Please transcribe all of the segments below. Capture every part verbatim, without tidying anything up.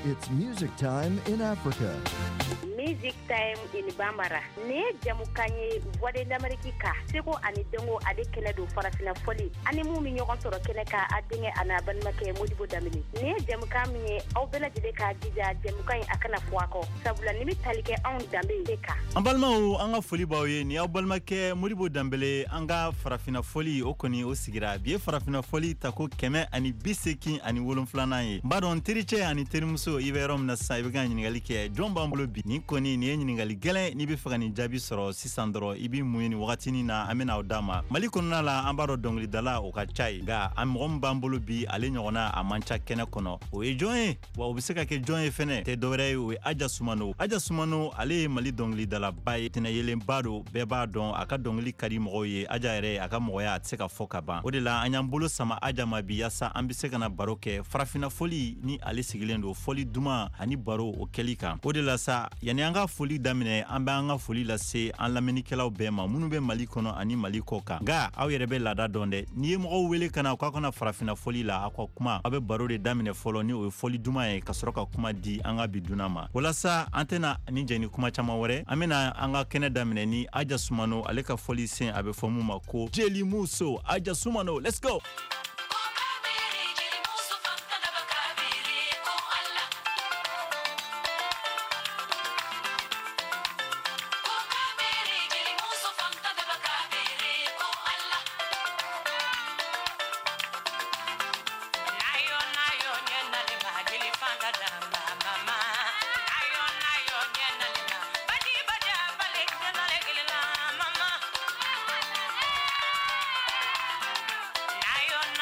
It's music time in Africa. Music Time in Bambara. Nin ye jamukan ye Voix de l'Amérique ka seko ani dɔnko ale kɛnɛ don farafina fɔli ani mun bɛ ɲɔgɔn sɔrɔ kɛnɛ kan a denkɛ a n'a balimakɛ Modibo Danbele. Nin ye jamukan min ye aw bɛɛ lajɛlen k'a jija jamukan in a kana fɔ a kɔ sabula nin bɛ tali kɛ anw danbe de kan. An balimaw, an ka foli b'aw ye. Ni aw balimakɛ Modibo Danbele, an ka farafina fɔli o kɔni o sigira bi ye farafina fɔli tako kɛmɛ ani bi seegin ani wolonfilanan ye. N b'a dɔn tericɛ ani terimuso, i bɛ yɔrɔ min na sisan, i bɛ ka ɲininkali kɛ jɔn b'an bolo bi. Nin kɔni nin ye ɲininkali gɛlɛn. N'i bɛ fɛ ka nin jaabi sɔrɔ sisan dɔrɔn, i b'i mun ye nin wagatinin na, an bɛna o d'a ma. Mali kɔnɔna la, an b'a dɔn dɔnkilidala o ka ca ye, nka an mɔgɔ min b'an bolo bi, ale ɲɔgɔnna a man ca kɛnɛ kɔnɔ. O ye jɔn ye wa o bɛ se ka kɛ jɔn ye fɛnɛ tɛ dɔwɛrɛ ye, o ye Aja Sumano. Aja Sumano, ale ye Mali dɔnkilidalaba ye, tɛnɛyelenba don, bɛɛ b'a dɔn, a ka dɔnkili ka di mɔgɔw ye. Aja yɛrɛ, a ka mɔgɔya a tɛ se ka fɔ ka ban. O de la an y'an bolo sama Aja ma bi, yaasa an bɛ se ka na baro kɛ farafina fɔli ni ale sigilen don fɔli duman ani baro o kɛli kan. O de la sa, yanni an ka foli daminɛ, an bɛ an ka foli lase an lamɛnnikɛlaw bɛɛ ma minnu bɛ Mali kɔnɔ ani Mali kɔ kan. Nka aw yɛrɛ bɛ laada dɔn dɛ, n'i ye mɔgɔw wele ka na k'aw kana farafina fɔli la, aw ka kuma, aw bɛ baro de daminɛ fɔlɔ ni o ye fɔli duman ye, ka sɔrɔ ka kuma di an ka bi dunan ma. Walasa an tɛna ni jɛ ni kuma caman wɛrɛ, an bɛna an ka kɛnɛ daminɛ ni Aja Sumano ale ka fɔli sen, a bɛ fɔ mun ma ko Jeli Muso. Aja Sumano, let's go. Ayo.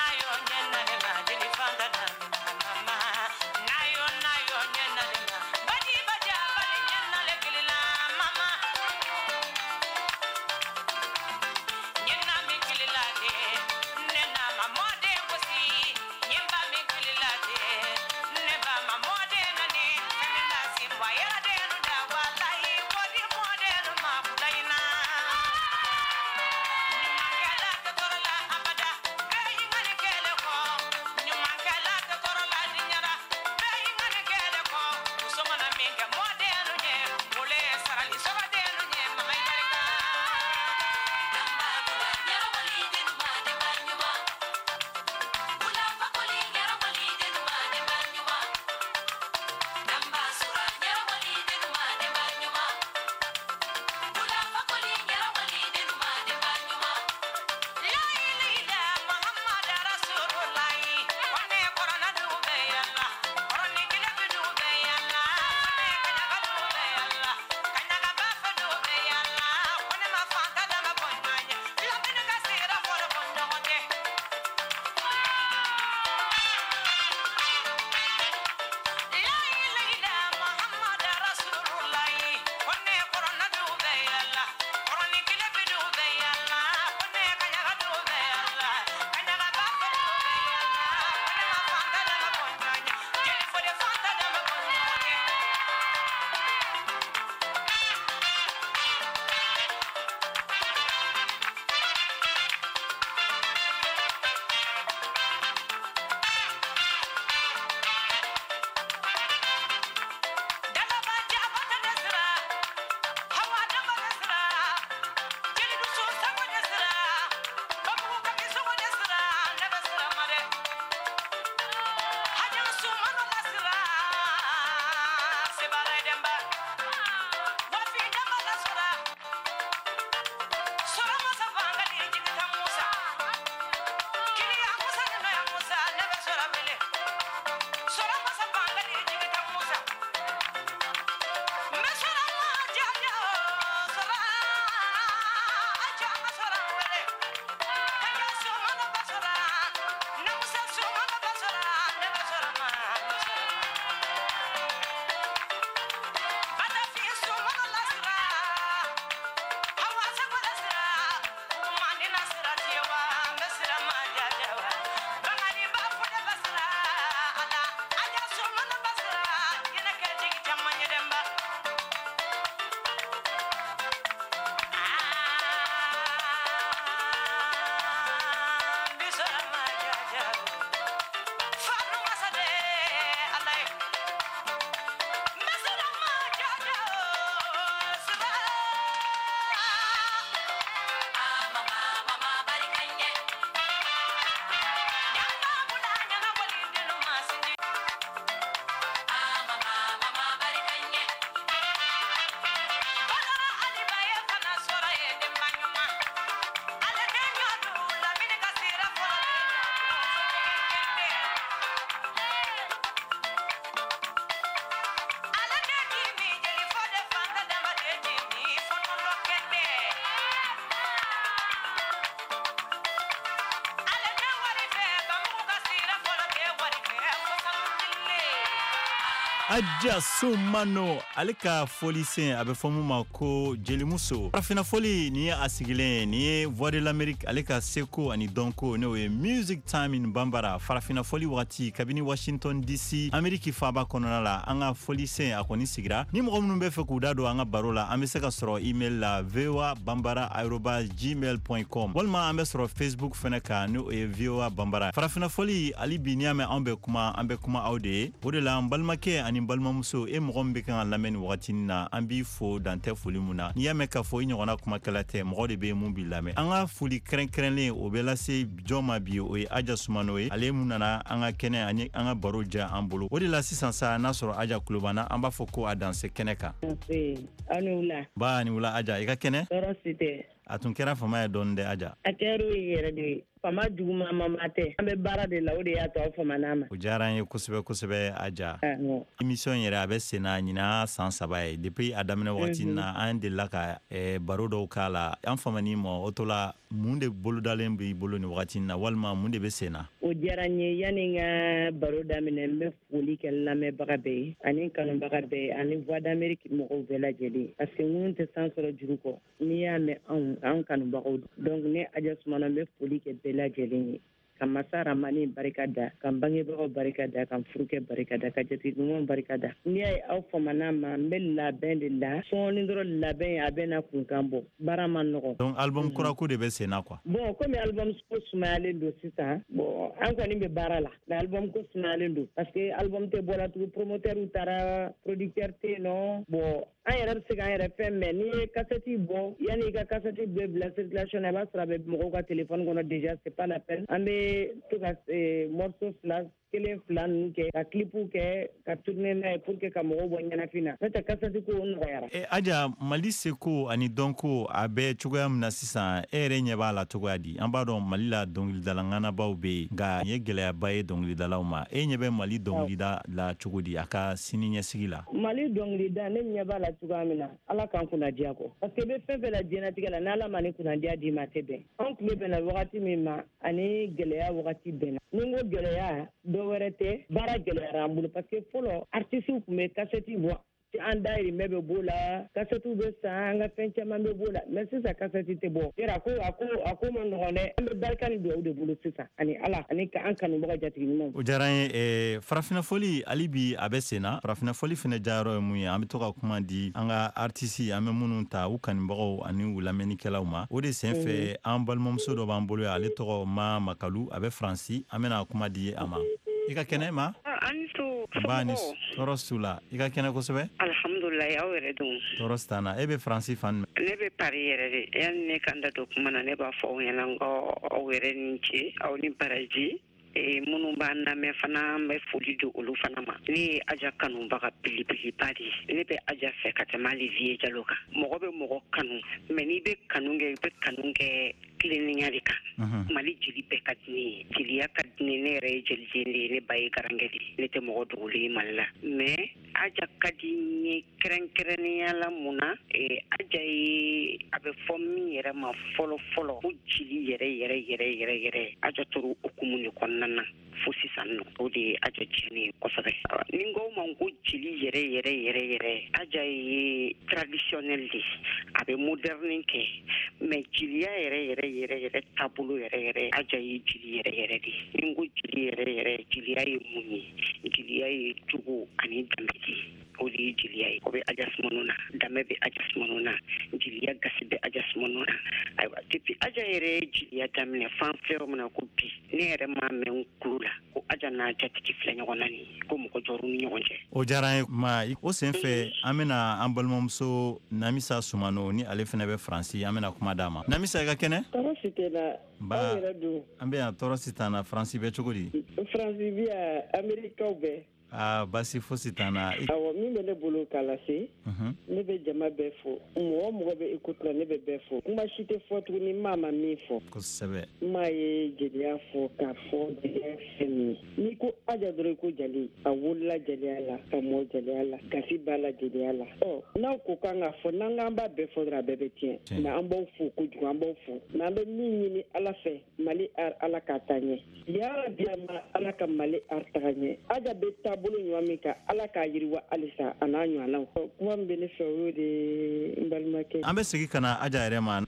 Adja Soumano ale ka fɔlisen a bɛ fɔ mun ma ko jelimuso. Farafinna fɔli nin ye a sigilen nin ye Voix de l'Amérique ale ka seko ani dɔnko, n'o ye Music Time in Bambara. Farafinna fɔli wagati kabini Washington D C, Amérique faaba kɔnɔna la, an ka fɔlisen a kɔni sigira. Ni mɔgɔ minnu bɛ fɛ k'u da don an ka baro la, an bɛ se ka sɔrɔ email la voa bambara arobase gmail point com, walima an bɛ sɔrɔ Facebook fɛnɛ kan, n'o ye V O A Bambara. Farafinna fɔli hali bi, n'i y'a mɛn anw bɛ kuma, an bɛ kuma aw de ye. O de la, an balimakɛ ani balimamuso, e mɔgɔ min bɛ kan ka lamɛn nin wagati na, an b'i fo dantɛ foli mun na. N'i y'a mɛn k'a fɔ i ɲɔgɔnna kumakɛla tɛ, mɔgɔ de bɛ mun b'i lamɛn. An ka foli kɛrɛnkɛrɛnlen o bɛ lase jɔn ma bi? O ye Aja Sumano ye, ale mun nana an ka kɛnɛ ani an ka baro diya an bolo. O de la sisan sa, n'a sɔrɔ Aja kulo b'an na, an b'a fɔ ko a danse kɛnɛ kan. Aw ni wula. Ba ni wula Aja, i ka kɛnɛ? Tɔɔrɔ si tɛ. A tun kɛra fama ye dɔɔni dɛ, Aja. A kɛra o ye yɛrɛ de ye. Fama juguman ma tɛ, an bɛ baara de la, o de y'a to aw famana ma. O diyara an ye kosɛbɛ kosɛbɛ, Aja. Émission yɛrɛ a bɛ sen na ɲinan san saba ye. Depuis a daminɛ wagati na, an delila ka eh, baro dɔw k'a la. An famani ma o to la, mun de bolodalen b'i bolo nin wagati na, walima mun de bɛ sen na? O diyara n ye. Yanni n ka baro daminɛ, n bɛ foli kɛ lamɛnbaga bɛɛ ye ani kanubaga bɛɛ ye ani Voix d'Amérique mɔgɔw bɛɛ lajɛlen, parce que minnu tɛ san sɔrɔ juru kɔ, n'i y'a mɛn anw an kanubagaw don. Donc ne Aja Sumana, n bɛ foli kɛ bɛɛ lajɛlen ye, ka masa Ramani barika da, ka n bangebagaw barika da, ka n furukɛ barika da, ka jatigi ɲumanw barika da. N'i y'a ye aw famana ma, n bɛ labɛn de la sɔɔni dɔrɔn. Labɛn a bɛ na kunkan bɔ, baara ma nɔgɔn. Donc album kura ko de bɛ sen na quoi? Bon, komi album ko sumayalen don sisan, bon, an kɔni bɛ baara la, mais album ko sumayalen don parce que album tɛ bɔla tugun, promoteur taara, producteur tɛ yen nɔ. Bon, an yɛrɛ bɛ se k'an yɛrɛ fɛn, mais n'i ye cassette bɔ, yanni i ka cassette bɛɛ bila circulation na, i b'a sɔrɔ a bɛ mɔgɔw ka téléphone kɔnɔ déjà, c'est pas la peine. An bɛ to ka morceau fila, kelen, fila ninnu kɛ, ka clipw kɛ, ka tourner n'a ye pour que ka mɔgɔw bɔ ɲɛnafin na. N'o tɛ, cassette ko nɔgɔyara. E, Aja, Mali seko ani dɔnko a bɛ cogoya min na sisan, e yɛrɛ ɲɛ b'a la cogoya di? An b'a dɔn Mali la dɔnkilidala ŋanabaw bɛ yen, nka nin ye gɛlɛyaba ye dɔnkilidalaw ma. E ɲɛ bɛ Mali dɔnkilida la cogo di a ka sini ɲɛsigi la? Mali dɔnkilida, ne ɲɛ b'a la cogoya min na, Ala k'an kunnadiya kɔ, parce que i bɛ fɛn fɛn la diɲɛnatigɛ la, n'Ala ma ni kunnadiya d'i ma, a tɛ bɛn. Anw tile bɛnna wagati min ma ani gɛlɛya wagati bɛnna. Ni n ko gɛlɛya, dɔ wɛrɛ tɛ, baara gɛlɛyara an bolo, parce que fɔlɔ artisiw tun bɛ kasɛti bɔ, an dayirimɛ bɛ b'o la, kasɛtiw bɛ san, an ka fɛn caman bɛ b'o la, mais sisan kasɛti tɛ bɔ yɛrɛ. A ko a ko a ko ma nɔgɔn dɛ. An bɛ barika ni dugawu de bolo sisan ani Ala ani ka an kanubaga jatigi ɲumanw. O diyara an ye. Farafinna fɔli hali bi a bɛ sen na. Farafinna fɔli fɛnɛ diyayɔrɔ ye mun ye? An bɛ to ka kuma di an ka artisi, an bɛ minnu ta, u kanubagaw ani u lamɛnnikɛlaw ma. O de sen fɛ, an balimamuso dɔ b'an bolo yan, ale tɔgɔ Ma Makalu, a bɛ Faransi. An bɛna kuma di a ma. I ka kɛnɛ ma? An to. Ba ni tɔɔrɔ su la, i ka kɛnɛ kosɛbɛ. Alhamdulilayi, aw yɛrɛ dun? Tɔɔrɔ si t'an na. E bɛ Faransi fan jumɛn? Ne bɛ Paris yɛrɛ de. Yanni ne ka n da don kuma na, ne b'a fɔ aw ɲɛna n ko aw yɛrɛ ni ce, aw ni baraji. Minnu b'an lamɛn fana, an bɛ foli di olu fana ma. Ne ye Aja kanubaga belebeleba de ye. Ne bɛ Aja fɛ ka tɛmɛ hali Vieux Jalo kan. Mɔgɔ bɛ mɔgɔ kanu, mais n'i bɛ kanu kɛ, i bɛ kanu kɛ tilennenya de kan. Mali jeli bɛɛ ka di ne ye, jeliya ka di ne. Ne yɛrɛ ye jeliden de ye, ne ba ye garankɛ de ye, ne tɛ mɔgɔ dogolen ye Mali la, mais Aja ka di n ye kɛrɛnkɛrɛnnenya la. Mun na? Aja ye, a bɛ fɔ min yɛrɛ ma fɔlɔ fɔlɔ ko jeli yɛrɛ yɛrɛ yɛrɛ yɛrɛ yɛrɛ, Aja tora okumu de kɔnɔna na fo sisan nɔ. O de ye Aja tiɲɛni ye kosɛbɛ. Ni n ko ma ko jeli yɛrɛ yɛrɛ yɛrɛ yɛrɛ, Aja ye traditionnel de, a bɛ moderne kɛ, mais jeliya yɛrɛ yɛrɛ yɛrɛ yɛrɛ taabolo yɛrɛ yɛrɛ, Aja ye jeli yɛrɛ yɛrɛ de. Ni n ko jeli yɛrɛ yɛrɛ, jeliya ye mun ye? Jeliya ye jogo ani danbe de ye, o de ye jeliya ye. O bɛ Aja Sumano na, danbe bɛ Aja Sumano na, jeliya gasi bɛ Aja Sumano na. Ayiwa, depuis Aja yɛrɛ ye jeliya daminɛ fan filɛ yɔrɔ min na ko bi, ne yɛrɛ m'a mɛn n kulo la ko Aja n'a jatigi filɛ ɲɔgɔn na nin ko mɔgɔ jɔr'u ni ɲɔgɔn cɛ. O diyara an ye ma. O sen fɛ, an bɛna an balimamuso Namisa Sumano, ni ale fɛnɛ bɛ Faransi, an bɛna kuma d'a ma. Namisa, i ka kɛnɛ? Tɔɔrɔ si tɛ na. Ba, aw yɛrɛ dun? An bɛ yan, tɔɔrɔ si t'an na. Faransi bɛ cogo di? Faransi bi yan, Amerikaw bɛɛ. Aa, basi fosi t'an na. Awɔ, min bɛ ne bolo k'a lase, ne bɛ jama bɛɛ fo, mɔgɔ mɔgɔ bɛ écoute la, ne bɛ bɛɛ fo. Kuma si tɛ fɔ tuguni maa ma min fɔ. Kosɛbɛ. Maa ye jeliya fɔ k'a fɔ jeliya fɛn min ye. N'i ko Aja dɔrɔn, i ko jeli. A wolola jeliya la, ka mɔ jeliya la, gasi b'a la jeliya la. Ɔ, n'aw ko k'an k'a fɔ, n'an k'an b'a bɛɛ fɔ dɔrɔn, a bɛɛ bɛ tiɲɛ. Mais an b'aw fo kojugu, an b'aw fo. Mais an bɛ min ɲini Ala fɛ, Mali art, Ala k'a taa ɲɛ. Yarabi, ma Ala ka Mali art taga ɲɛ. Aja bɛ taabolo bolo ɲuman min kan, Ala k'a yiriwa halisa a n'a ɲɔgɔnnaw. Kuma min bɛ ne fɛ o y'o de ye n balimakɛ. An bɛ segin ka na Aja yɛrɛ ma.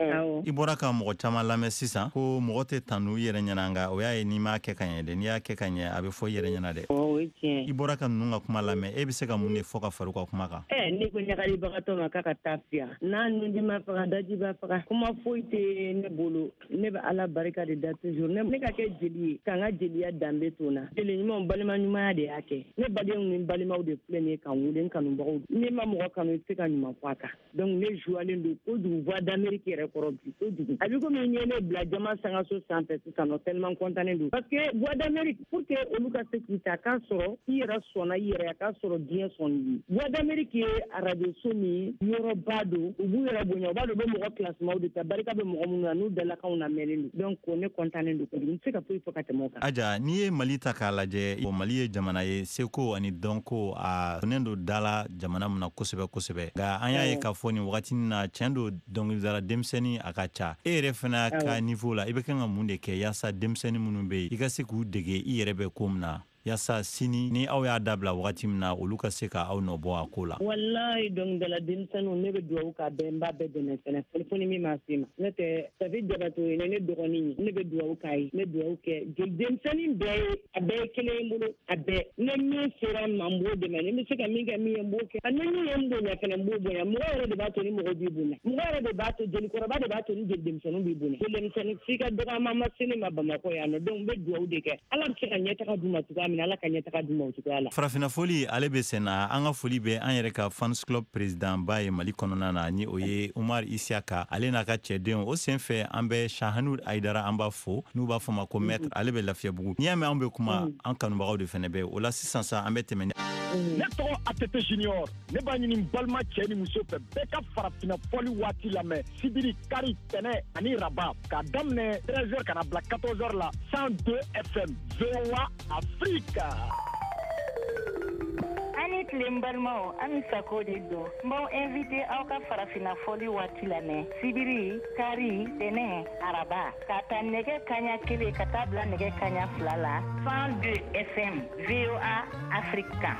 I bɔra ka mɔgɔ caman lamɛn sisan ko mɔgɔ tɛ tanu i yɛrɛ ɲɛna, nka o y'a ye n'i m'a kɛ ka ɲɛ dɛ, n'i y'a kɛ ka ɲɛ a bɛ fɔ i yɛrɛ ɲɛna dɛ. O ye tiɲɛ. I bɔra ka ninnu ka kuma lamɛn, e bɛ se ka mun de fɔ ka fara u ka kuma kan? Ɛ ne ko ɲagalibagatɔ ma k'a ka taa fiya, n'a nunji ma faga daji b'a faga. Kuma foyi tɛ ne bolo, ne bɛ Ala barika de da toujours. Ne ka kɛ jeli ye, k'an ka jeliya danbe to n na. Jeli ɲumanw balima ɲumanya de y'a kɛ. Ne badenw ni balimaw de filɛ nin ye k'an wele, n kanubagaw. N'i ma mɔgɔ kanu i tɛ se ka ɲuman fɔ a kan. Donc ne joilen don kojugu Voix d'Amérique yɛrɛ kɔrɔ bi kojugu. A bɛ komi n ye ne bila jama sangaso sanfɛ sisan nɔ, tellement content don. Parce que Voix d'Amérique, pour que olu ka se k'i ta, k'a sɔrɔ i yɛrɛ sɔnna i yɛrɛ, a k'a sɔrɔ diɲɛ sɔnni ye. Voix d'Amérique ye arajo so min yɔrɔba don, u b'u yɛrɛ bonya, u b'a dɔn u bɛ mɔgɔ kilasimaw de ta, barika bɛ mɔgɔ minnu na n'u dalakanw lamɛnnen don. Donc ne content don kojugu, n tɛ se ka foyi fɔ ka tɛmɛ o kan. Aja, n'i ye Mali ta k'a lajɛ, Mali ye jamana ye seko ani dɔnko a donnen don da la jamana min na kosɛbɛ kosɛbɛ, nka an y'a ye k'a fɔ nin wagati na tiɲɛ don dɔnkilidala denmisɛnnin a ka ca. E yɛrɛ fana ka niveau la, i bɛ kan ka mun de kɛ yaasa denmisɛnnin minnu bɛ yen i ka se k'u dege i yɛrɛ bɛ ko min na, yaasa sini ni aw y'a dabila wagati min na olu ka se ka aw nɔ bɔ a ko la? Walayi dɔnkilidala denmisɛnninw, ne bɛ dugawu k'a bɛɛ, n b'a bɛɛ dɛmɛ fɛnɛ, fo ni min ma se ma. N'o tɛ Safi Jabato ye ne dɔgɔnin ye, ne bɛ dugawu k'a ye, n bɛ dugawu kɛ jeli denmisɛnnin bɛɛ ye, a bɛɛ ye kelen ye n bolo, a bɛɛ. Ne min sera n ma n b'o dɛmɛ, ni n bɛ se ka min kɛ min ye n b'o kɛ, ni min ye n bonya fɛnɛ n b'o bonya. Mɔgɔ yɛrɛ de b'a to ni mɔgɔ b'i bonya, mɔgɔ yɛrɛ de b'a to jelikɔrɔba de b'a to ni jeli denmisɛnninw b'i bonya. Jeli denmisɛnnin f'i ka dɔgɔyama ma se ne ma Bamakɔ yan nɔ, donc n bɛ dugawu de kɛ, Ala bɛ se ka ɲɛtaga d'u ma cogoya min na, Ala ka ɲɛtaga d'u ma o cogoya la. Farafinna foli ale bɛ sen na. An ka foli bɛ an yɛrɛ ka fans club président ba ye Mali kɔnɔna na, ni o ye Umar Isiaka, ale n'a ka cɛdenw. O senfɛ an bɛ Shahanud Aidara, an b'a fo, n'u b'a fɔ ma ko maître, ale bɛ Lafiyabugu. N'i y'a mɛn anw bɛ kuma, an kanubagaw de fɛnɛ bɛ o la. Sisan sa an bɛ tɛmɛ. Ne tɔgɔ A T T Junior, ne b'a ɲini balima cɛ ni muso fɛ bɛɛ ka farafinna fɔli waati lamɛn sibiri, kari, tɛnɛ ani raba, k'a daminɛ treize heures ka na bila quatorze heures la, cent deux F M V O A Afrique. Ani tile n balimaw, an Sako de don. N b'aw invité aw ka farafinna fɔli waati lamɛn sibiri, kari, tɛnɛ, araba, ka ta nɛgɛ kaɲa kelen ka taa bila nɛgɛ kaɲa fila la, cent deux F M V O A Afrique kan.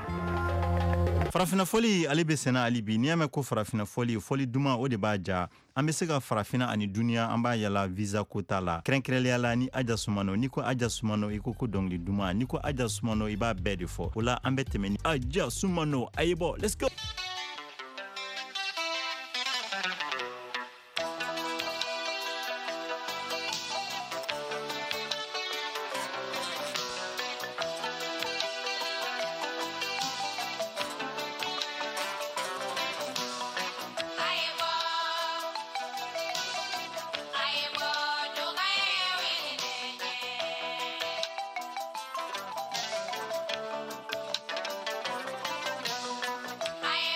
Farafinna fɔli ale bɛ senna hali bi. N'i y'a mɛn ko farafinna fɔli, fɔli duman o de b'a ja. An bɛ se ka farafinna ani duniya an b'a yala visa ko t'a la, kɛrɛnkɛrɛnnenya la ni Aja Sumano. N'i ko Aja Sumano i ko ko dɔnkili duman, n'i ko Aja Sumano i b'a bɛɛ de fɔ. O la an bɛ tɛmɛ ni Aja Sumano. A ye bɔ, let's go. I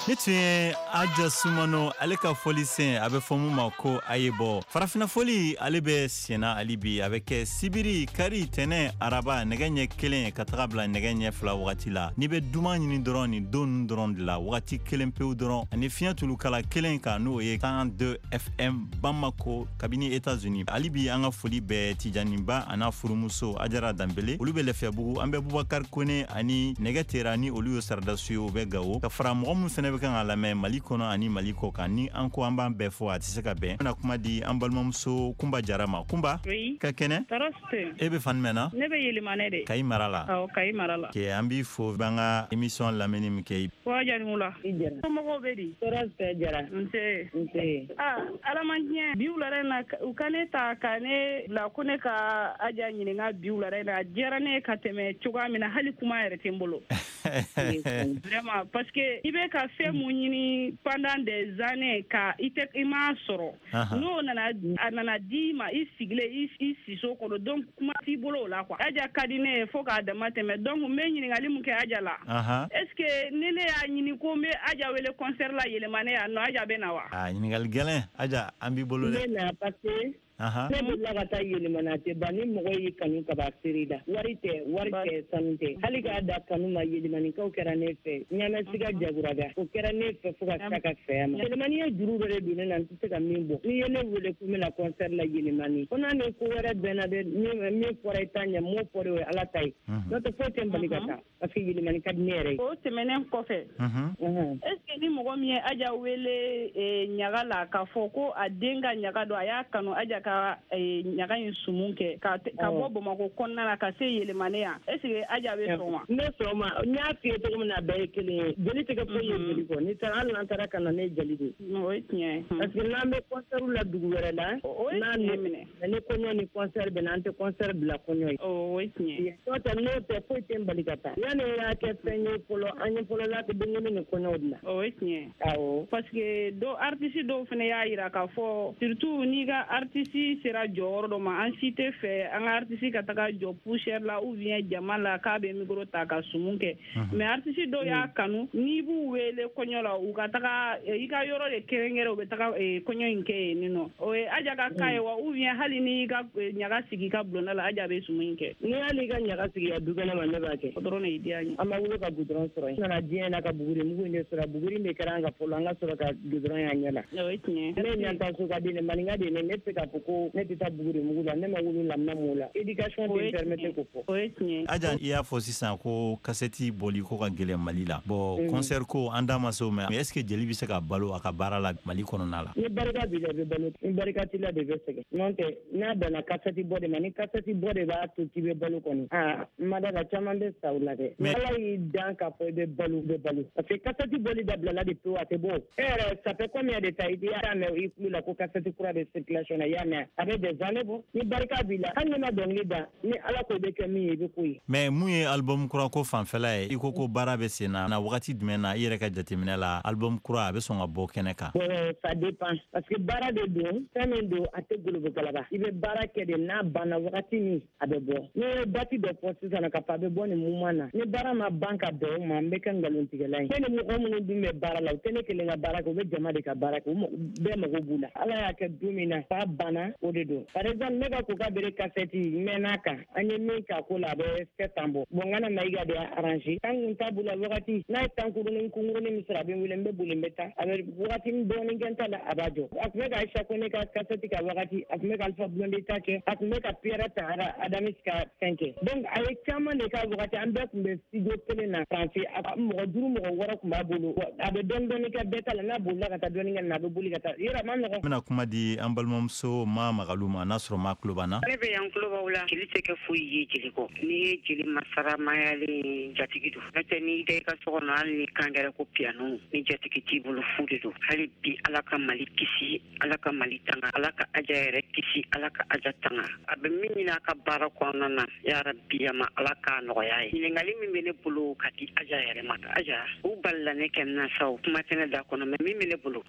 Ni tun ye Aja Sumano ale ka fɔli sen, a bɛ fɔ mun ma ko a ye bɔ farafinna fɔli. Ale bɛ senna hali bi, a bɛ kɛ sibiri, kari, tɛnɛ, araba, nɛgɛ ɲɛ kelen ka taga bila nɛgɛ ɲɛ fila wagati la. N'i bɛ duman ɲini dɔrɔn, nin don ninnu dɔrɔn de la, wagati kelen pewu dɔrɔn, ani fiɲɛ tulukala kelen kan, n'o ye cent deux F M Bamako kabini États-Unis. Hali bi an ka foli bɛ Tijaniba a n'a furumuso Ajara Danbele, olu bɛ Lafiyabugu. An bɛ Bubakari Kone ani Nɛgɛ Tera, ni olu ye saradasiw ye, u bɛ Gawo. Ka fara mɔgɔ min fɛnɛ bɛ kan ka lamɛn Mali kɔnɔ ani Mali kɔ kan, ni an ko an b'an bɛɛ fɔ, a tɛ se ka bɛn. An bɛna kuma di an balimamuso Kunba Jara ma. Kunba, Oui. ka kɛnɛ? Tɔɔrɔ tɛ. E bɛ fan jumɛn na? Ne bɛ Yelimane de. Kayi mara la? Awɔ, Kayi mara la. Ke an b'i fo, b'an ka émission lamɛnni min kɛ. Ko Janiwula. I Jara. Somɔgɔw bɛ di? Tɔɔrɔ tɛ, Jara. Nse. Nse. Ah, Ala man diɲɛ. Bi wulada in na, u ka ne ta ka ne bila ko ne ka Aja ɲininka bi wulada in na. A diyara ne ye ka tɛmɛ cogoya min na, hali kuma yɛrɛ tɛ n bolo. Vraiment, parce que i bɛ ka fɛn mun ɲini pendant des années ka i tɛ i m'a sɔrɔ. Ahan. N'o nana, a nana di ma, i sigilen i i siso kɔnɔ, donc kuma t'i bolo o la quoi. Aja ka di ne ye fo k'a dama tɛmɛ. Donc n bɛ ɲininkali mun kɛ Aja la, Ahan. est ce que ni ne y'a ɲini ko n bɛ Aja wele concert la Yelimane yan nɔ, Aja bɛ na wa? A ɲininkali gɛlɛn, Aja, an b'i bolo N dɛ. bɛ na parce que Ahan. ne bolila ka taa Yelimana, a tɛ ban. Ni mɔgɔ y'i kanu ka ban seere la, wari tɛ, wari tɛ, sanu tɛ, hali k'a da kanu ma. Yelimanikaw kɛra ne fɛ, ɲamɛsiga jaguraga o kɛra ne fɛ fo ka s'a ka fɛya ma. Yelimani ye juru dɔ de don ne na, n tɛ se ka min bɔ. N'i ye ne wele ko n bɛna concert la Yelimani, ko n'a ni ko wɛrɛ bɛnna dɛ, min min fɔra i ta ɲɛ, m'o fɔra, o ye Ala ta ye. N'o tɛ, foyi tɛ n bali ka taa parce que Yelimani ka di ne yɛrɛ ye. O tɛmɛnen kɔfɛ, Mhm. est ce que ni mɔgɔ min ye Aja wele eh, ɲaga la k'a fɔ ko a den ka ɲaga don, a y'a kanu Aja ka eh, ɲaga in sumun kɛ ka te- ka bɔ Bamakɔ kɔnɔna na ka se Yelimane yan, est ce que Aja bɛ sɔn wa? Ne sɔn ma. N y'a f'i ye cogo min na, a bɛɛ ye kelen ye. Jeli tɛ kɛ foyi ye jeli kɔ. N'i taara, hali n'an taara ka na, ne ye jeli de ye. O ye tiɲɛ ye. Parce que n'an bɛ concert la dugu wɛrɛ la, O ye n'a tiɲɛ minɛ. ni kɔɲɔ ni concert bɛ na, an tɛ concert bila kɔɲɔ ye. O ye tiɲɛ ye. N'o tɛ n'o tɛ foyi tɛ n bali ka taa. Yanni n y'a kɛ fɛn ye fɔlɔ, an ye fɔlɔ la denkuli ni kɔɲɔw de la. O ye tiɲɛ ye. Awɔ. Parce que dɔw, artiste dɔw fana y'a yira k'a fɔ, surtout n'i ka artiste sera jɔyɔrɔ dɔ ma, an si tɛ fɛ an ka artiste ka taga jɔ poussière la ou bien jama la k'a bɛ micro ta ka sumun kɛ. Mais artiste dɔw y'a kanu, n'i b'u wele kɔɲɔ la, u ka taga eh, i ka yɔrɔ de kɛrɛnkɛrɛn, u bɛ taga eh, kɔɲɔ in kɛ yen nɔ. O ye Aja ka cas ye wa, ou bien hali n'i ka eh, ɲaga sigi i ka bulonda la, Aja bɛ sumun in kɛ? Ni hali i ka ɲaga sigi ka du kɛnɛ ma, ne b'a kɛ. O dɔrɔn de y'i diya n ye. An ma wolo ka goudron sɔrɔ yen. N nana diɲɛ na ka buguri mugu in de sɔrɔ. Buguri de kɛra an ka fɔlɔ, an ka sɔrɔ ka goudron y'an ɲɛ la. O ye tiɲɛ ye. Ne ye ɲantaso ka den de, maninka de ye ne. Ne tɛ se k'a fɔ ko ne tɛ taa buguri mugu la. Ne ma wolo la, ma m'o la. Éducation O tɛ ye n permettre tiɲɛ k'o fɔ. O ye tiɲɛ ye. Aja, i y'a fɔ sisan ko kasɛti bɔli ko ka gɛlɛn Mali la. Bon, concert ko an da ma se o ma. Est ce que jeli bɛ se ka balo a ka baara la Mali kɔnɔna la? Ni barika b'i la, i bɛ balo. Ni barika t'i la de, i bɛ sɛgɛn. N'o tɛ, n'a danna kasɛti bɔ de ma, ni kasɛti bɔ de b'a to k'i bɛ balo kɔni, aa, n ma da la, caman bɛ sa o la dɛ. Mais- Ala y'i dan k'a fɔ i bɛ balo, i bɛ balo, parce que kasɛti bɔli dabilala de pewu, a tɛ bɔ. E yɛrɛ, ça fait combien de temps i y'a mɛn i tulo la ko kasɛti kura bɛ circulation na? I y'a mɛn, a bɛ des années bɔ. Ni barika b'i la, hali n'i ma dɔnkili da, ni Ala ko i bɛ kɛ min ye, i bɛ k'o ye. Mais mun ye album kura ko fanfɛla ye, i ko ko baara bɛ sen na, na wagati jumɛn na, i yɛrɛ ka jateminɛ la, album kura a bɛ sɔn ka bɔ kɛnɛ kan? Bon, ça dépend, parce que baara de don, fɛn min don, a tɛ golobo galaba. I bɛ baara kɛ de, n'a banna wagati min, a bɛ bɔ. N'i ye date dɔ fɔ sisan k'a fɔ a bɛ bɔ nin moment na, ni baara ma ban ka bɛn o ma, n bɛ kɛ nkalontigɛla ye. Ne ni mɔgɔ minnu dun bɛ baara la, u tɛ ne kelen ka baara kɛ, u bɛ jama de ka baara kɛ, u mago- bɛɛ mago b'u la. Ala y'a kɛ don min na f'a banna, o de don. Par exemple, ne ka Koka Bere kasɛti, n mɛn'a kan, an ye min k'a ko la, a bɛ sept ans bɔ. Bon, n kana Mayiga de y'a arrangé tan kun t'a bolo wagati n'a ye tan kurunin kunkurunin min sɔrɔ, a bɛ n wele, n bɛ boli, n bɛ taa. A bɛ wagati dɔɔnin kɛ n ta la, a b'a jɔ. A tun bɛ ka Aïcha Kone ka kasɛti ka wagati, a tun bɛ ka Alpha Blondy ta kɛ, a tun bɛ ka Pierre ta Adamis ka fɛn kɛ. Donc a ye caman de k'a wagati. An bɛɛ tun bɛ studio kelen na Faransi, a mɔgɔ duuru, mɔgɔ wɔɔrɔ tun b'a bolo. A bɛ dɔɔnin dɔɔnin kɛ bɛɛ ta la. N'a bolila ka taa dɔɔnin kɛ na, a bɛ boli ka taa yɔrɔ, a ma nɔgɔn. N bɛna kuma di an balimamuso ma Magalu ma, n'a sɔrɔ ma tulo b'an na. Ne bɛ yan, tulo b'aw la. Jeli tɛ kɛ foyi ye jeli kɔ. N'i ye jeli masaramayalen, jatigi don. N'o tɛ, n'i da i ka so kɔnɔ, hali ni kan kɛra ko piano, ni jatigi t'i bolo, fu de don. Hali bi, Ala ka Mali kisi, Ala ka Mali tanga, Ala ka Aja yɛrɛ kisi, Ala ka Aja tanga. A bɛ min ɲini a ka baara kɔnɔna na, yarabi ama, Ala k'a nɔgɔya ye. Ɲininkali min bɛ ne bolo ka di Aja yɛrɛ ma, Aja, u balila ne kɛ na sa, o kuma tɛ ne da kɔnɔ, mais min bɛ ne bolo,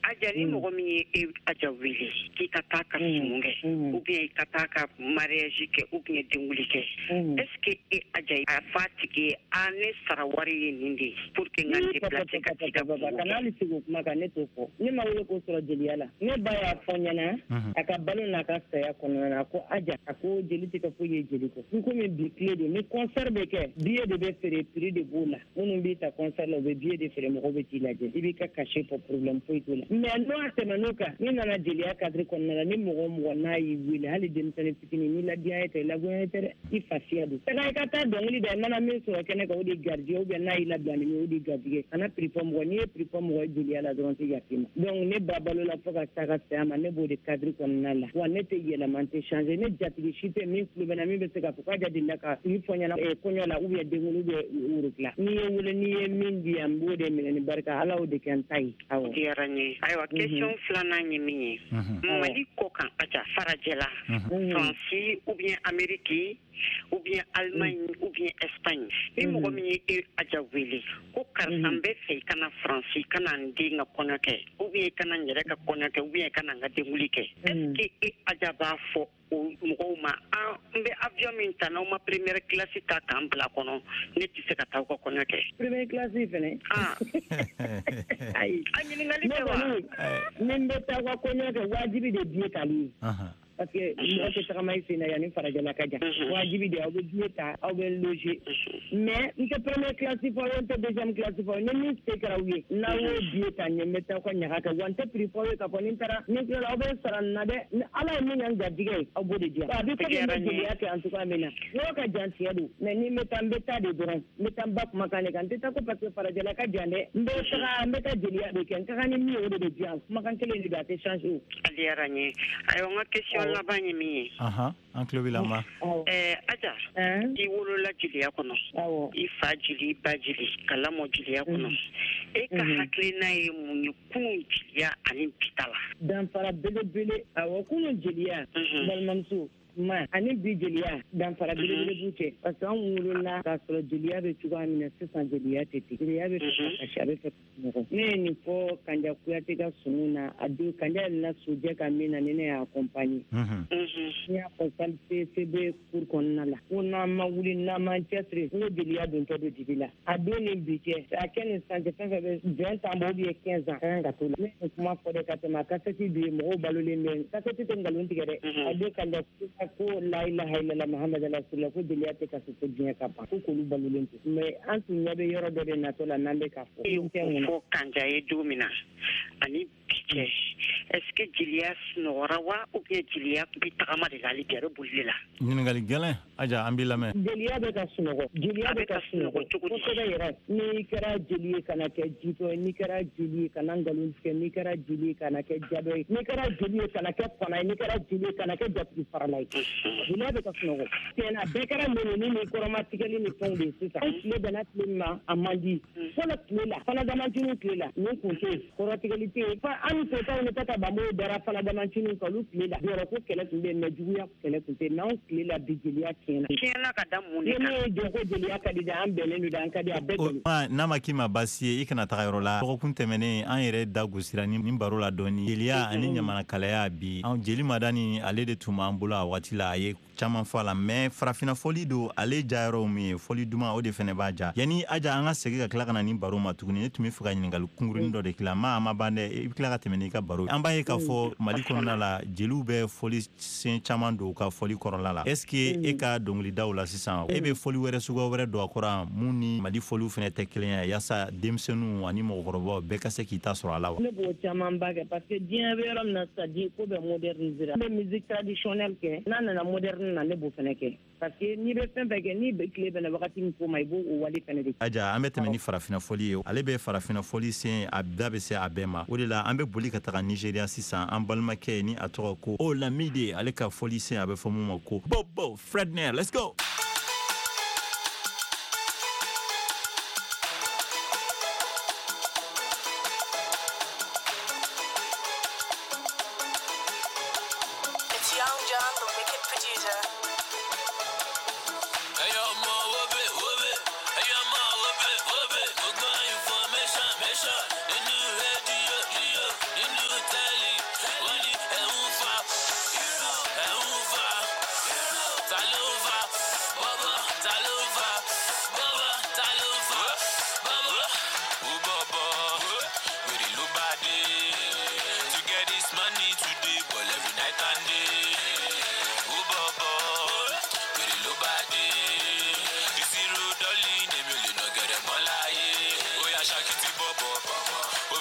Aja, ni mɔgɔ min ye e Aja wele k'i ka taa ka sumu kɛ ou bien i ka taa ka mariage kɛ ou bien denwuli kɛ, est ce que e Aja a f'a tigi ye a ne sara wari ye nin de ye pour que n ka déplacer ka t'i ka kungo kɛ? Kana hali sigi o kuma kan, ne t'o fɔ. Ne ma wele k'o sɔrɔ jeliya la. Ne ba y'a fɔ n ɲɛna a ka balo n'a ka saya kɔnɔna na, a ko Aja, a ko jeli tɛ kɛ foyi ye jeli kɔ. N komi bi tile don, ni concert bɛ kɛ, billet de bɛ feere, prix de b'o la. Minnu b'i ta concert la, u bɛ billet de feere, mɔgɔw bɛ t'i lajɛ, i b'i ka cachet fɔ, problème foyi t'o la. Mais n'o tɛmɛn'o kan, n'i nana jeliya cadre kɔnɔna la, ni mɔgɔ o mɔgɔ n'a y'i wele, hali denmisɛnnin fitinin, n'i ladiya tɛ, i lagoya tɛ dɛ, i fasiya don. Taga i ka taa dɔnkili da, i mana min sɔrɔ kɛnɛ kan, o de ye garijɛgɛ, ou bien n'a y'i labila ni min ye, o de ye garijɛgɛ. Kana prix fɔ mɔgɔ, n'i ye prix fɔ mɔgɔ ye jeliya la dɔrɔn, tɛ yafa i ma. Donc ne ba balo la fo ka taa ka saya ma, ne b'o de cadre kɔnɔna la. Wa ne tɛ yɛlɛma, n tɛ changer. Ne jatigi si tɛ min tulo bɛ na min bɛ se k'a fɔ k'a delila ka prix fɔ n ɲɛna kɔɲɔ la, ou bien denkundi, ou bien worotila. N'i ye wele, n'i ye min di yan, n b'o de minɛ ni barika, Ala y'o de kɛ n ta ye. Awɔ. Diyara n ye. Ayiwa, question filanan ye min ye, Mali kɔ kan Aja, farajɛla, Faransi ou bien Amérique ou bien Allemagne ou bien Espagne, ni mɔgɔ min ye e Aja wele ko karisa n bɛ fɛ i ka na Faransi, i ka na n den ka kɔɲɔ kɛ, ou bien i ka na n yɛrɛ ka kɔɲɔ kɛ, ou bien i ka na n ka denkundi kɛ, est ce que e Aja b'a fɔ o mɔgɔw ma an n bɛ avion min ta, n'aw ma première classe ta k'an bila kɔnɔ, ne tɛ se ka taa aw ka kɔɲɔ kɛ? Première classe fɛnɛ? Ayi. A ɲininkali tɛ wa? Ni n bɛ taa aw ka kɔɲɔ kɛ, wajibi de billet tali ye. Parce que mɔgɔ tɛ tagama i sen na yanni farajɛla ka jan. Wajibi de aw bɛ billet ta, aw bɛ loger. Mais n tɛ première classe fɔ aw ye, n tɛ deuxième classe fɔ aw ye. Ni min se kɛra aw ye, n'aw y'o billet ta, n ye n bɛ taa aw ka ɲaga kɛ. Wa n tɛ prix fɔ aw ye k'a fɔ ni n taara, ni n tilala aw bɛ sara nin na dɛ. Ni Ala ye min kɛ n garijɛgɛ ye, aw b'o de di yan. A bɛ komi n bɛ jeliya kɛ en tout cas min na. Yɔrɔ ka jan tiɲɛ don, mais ni n bɛ taa, n bɛ taa de dɔrɔn. N bɛ taa n ba kumakan de kan. N tɛ taa ko parce que farajɛla ka jan dɛ. N bɛ taga, n bɛ taa jeliya de kɛ. N ka kan ni min ye, o de bɛ di yan. Kumakan kelen de don, a tɛ changer o. A diyara n ye. Ayiwa, n ka question laban ye min ye. An tulo b'i la ma. Ɛɛ Aja, i wolola jeliya kɔnɔ, i fa jeli, i ba jeli, ka lamɔ jeliya kɔnɔ. E ka hakilina ye mun ye kunun jeliya ani bi ta la? Danfara belebele. Awɔ, kunun jeliya, balimamuso ma, ani bi jeliya, danfara belebele b'u cɛ. Parce que an wolola k'a sɔrɔ jeliya bɛ cogoya min na, sisan jeliya tɛ ten. Jeliya bɛ fɛ ka kasi, a bɛ fɛ ka sunɔgɔ. Ne ye nin fɔ Kanja Kuyate ka sumu na, a don Kanja yɛlɛnna sojɛ kan min na, ni ne y'a accompagner. N y'a fɔ salle C B cour kɔnɔna la, ko n'an ma wuli, n'an m'an cɛsiri, n ko jeliya dontɔ don dibi la. A don ni bi cɛ, a kɛ ni sisan cɛ, fɛn fɛn bɛ vingt ans bɔ ou bien quinze ans, ka kan ka t'o la. Ne ye kuma fɔ dɛ ka tɛmɛ, a kasɛti bɛ yen, mɔgɔw balolen bɛ. Kasɛti tɛ nkalon tigɛ dɛ. A don Kanja ko la ilaha illallah Muhammad rasulullah, ko jeliya tɛ kasi ko diɲɛ ka ban, ko k'olu balolen to. Mais an tun ɲɛ bɛ yɔrɔ dɔ de natɔ la n'an bɛ k'a fɔ. E fɔ Kanja ye don min na ani bi cɛ, est ce que jeliya sunɔgɔra wa, ou bien jeliya bɛ tagama de la hali bi, a bɛ boli de la? Ɲininkali gɛlɛn Aja, an b'i lamɛn. Jeliya bɛ ka sunɔgɔ. Jeliya bɛ ka sunɔgɔ cogo di? Kosɛbɛ yɛrɛ. N'i kɛra jeli ye, kana kɛ jitɔ ye. N'i kɛra jeli ye, kana nkalon tigɛ. N'i kɛra jeli ye, kana kɛ jadɔ ye. N'i kɛra jeli ye, kana kɛ fana ye. N'i kɛra jeli ye, kana kɛ jatigi farala ye. Jeliya bɛ ka sunɔgɔ. Tiɲɛna, bɛɛ kɛra mɛnɛni ni kɔrɔmatigɛli ni fɛnw de ye sisan. An tile bɛnna tile min ma, a man di. Fɔlɔ tile la, fana damantiniw tile la, nin kun tɛ yen, kɔrɔtigɛli tɛ yen. An ni sotaw ni tata banbow dara fana damantiniw kan, olu tile la. Yɔrɔ ko kɛlɛ tun bɛ yen, mais juguya kɛlɛ tun tɛ yen. N'anw tile la bi, jeliya tiɲɛna. Tiɲɛna ka da mun de kan? Ni min ye jɔ ko jeliya ka di dɛ, an bɛnnen don dɛ, an ka di a bɛɛ bɛnnen. N'a ma k'i ma baasi ye, i kana taga yɔrɔ la. Dɔgɔkun tɛmɛnen, an yɛrɛ da gosira ni baro la dɔɔni. Jeliya ani ɲamanakalaya bi, anw jeli Madani, ale de tun b'an bolo a waati la, a ye caman fɔ a la. Mais farafinna fɔli don, ale jayɔrɔ min ye fɔli duman, o de fɛnɛ b'a ja. Yanni Aja an ka segin ka tila ka na ni baro ma tuguni, ne tun bɛ fɛ ka ɲininkali kunkurunin dɔ de k'i la. Ma a ma ban dɛ, i bɛ tila ka tɛmɛ n'i ka baro. An b'a ye k'a fɔ Mali kɔnɔna la, jeliw bɛ fɔli sen caman don u ka fɔli kɔrɔla la. Est ce que e ka dɔnkilidaw la sisan, e bɛ fɔli wɛrɛ suguya wɛrɛ don a kɔrɔ mun ni Mali fɔliw fɛnɛ tɛ kelen ye, yaasa denmisɛnninw ani mɔgɔkɔrɔbaw bɛɛ ka se k'i ta sɔrɔ a la wa? Ne b'o camanba kɛ parce que diɲɛ bɛ yɔrɔ min na sisan, diɲɛ ko bɛɛ moderniser. N bɛ musique traditionnelle kɛ, n'a nana moderne na, ne b'o fɛnɛ kɛ. Parce que n'i bɛ fɛn fɛn kɛ, n'i bɛ tile bɛnna wagati min ko ma, i b'o o wale fɛnɛ de. Aja, an bɛ tɛmɛ ni farafinna fɔli ye. Ale bɛ farafinna fɔli sen, a da bɛ se a bɛɛ ma. O de la an bɛ boli ka taga Nigéria sisan, an balimakɛ ni a tɔgɔ ko Olamide, ale ka fɔli sen a bɛ fɔ mun ma ko Bobo Fredner. Let's go. Information,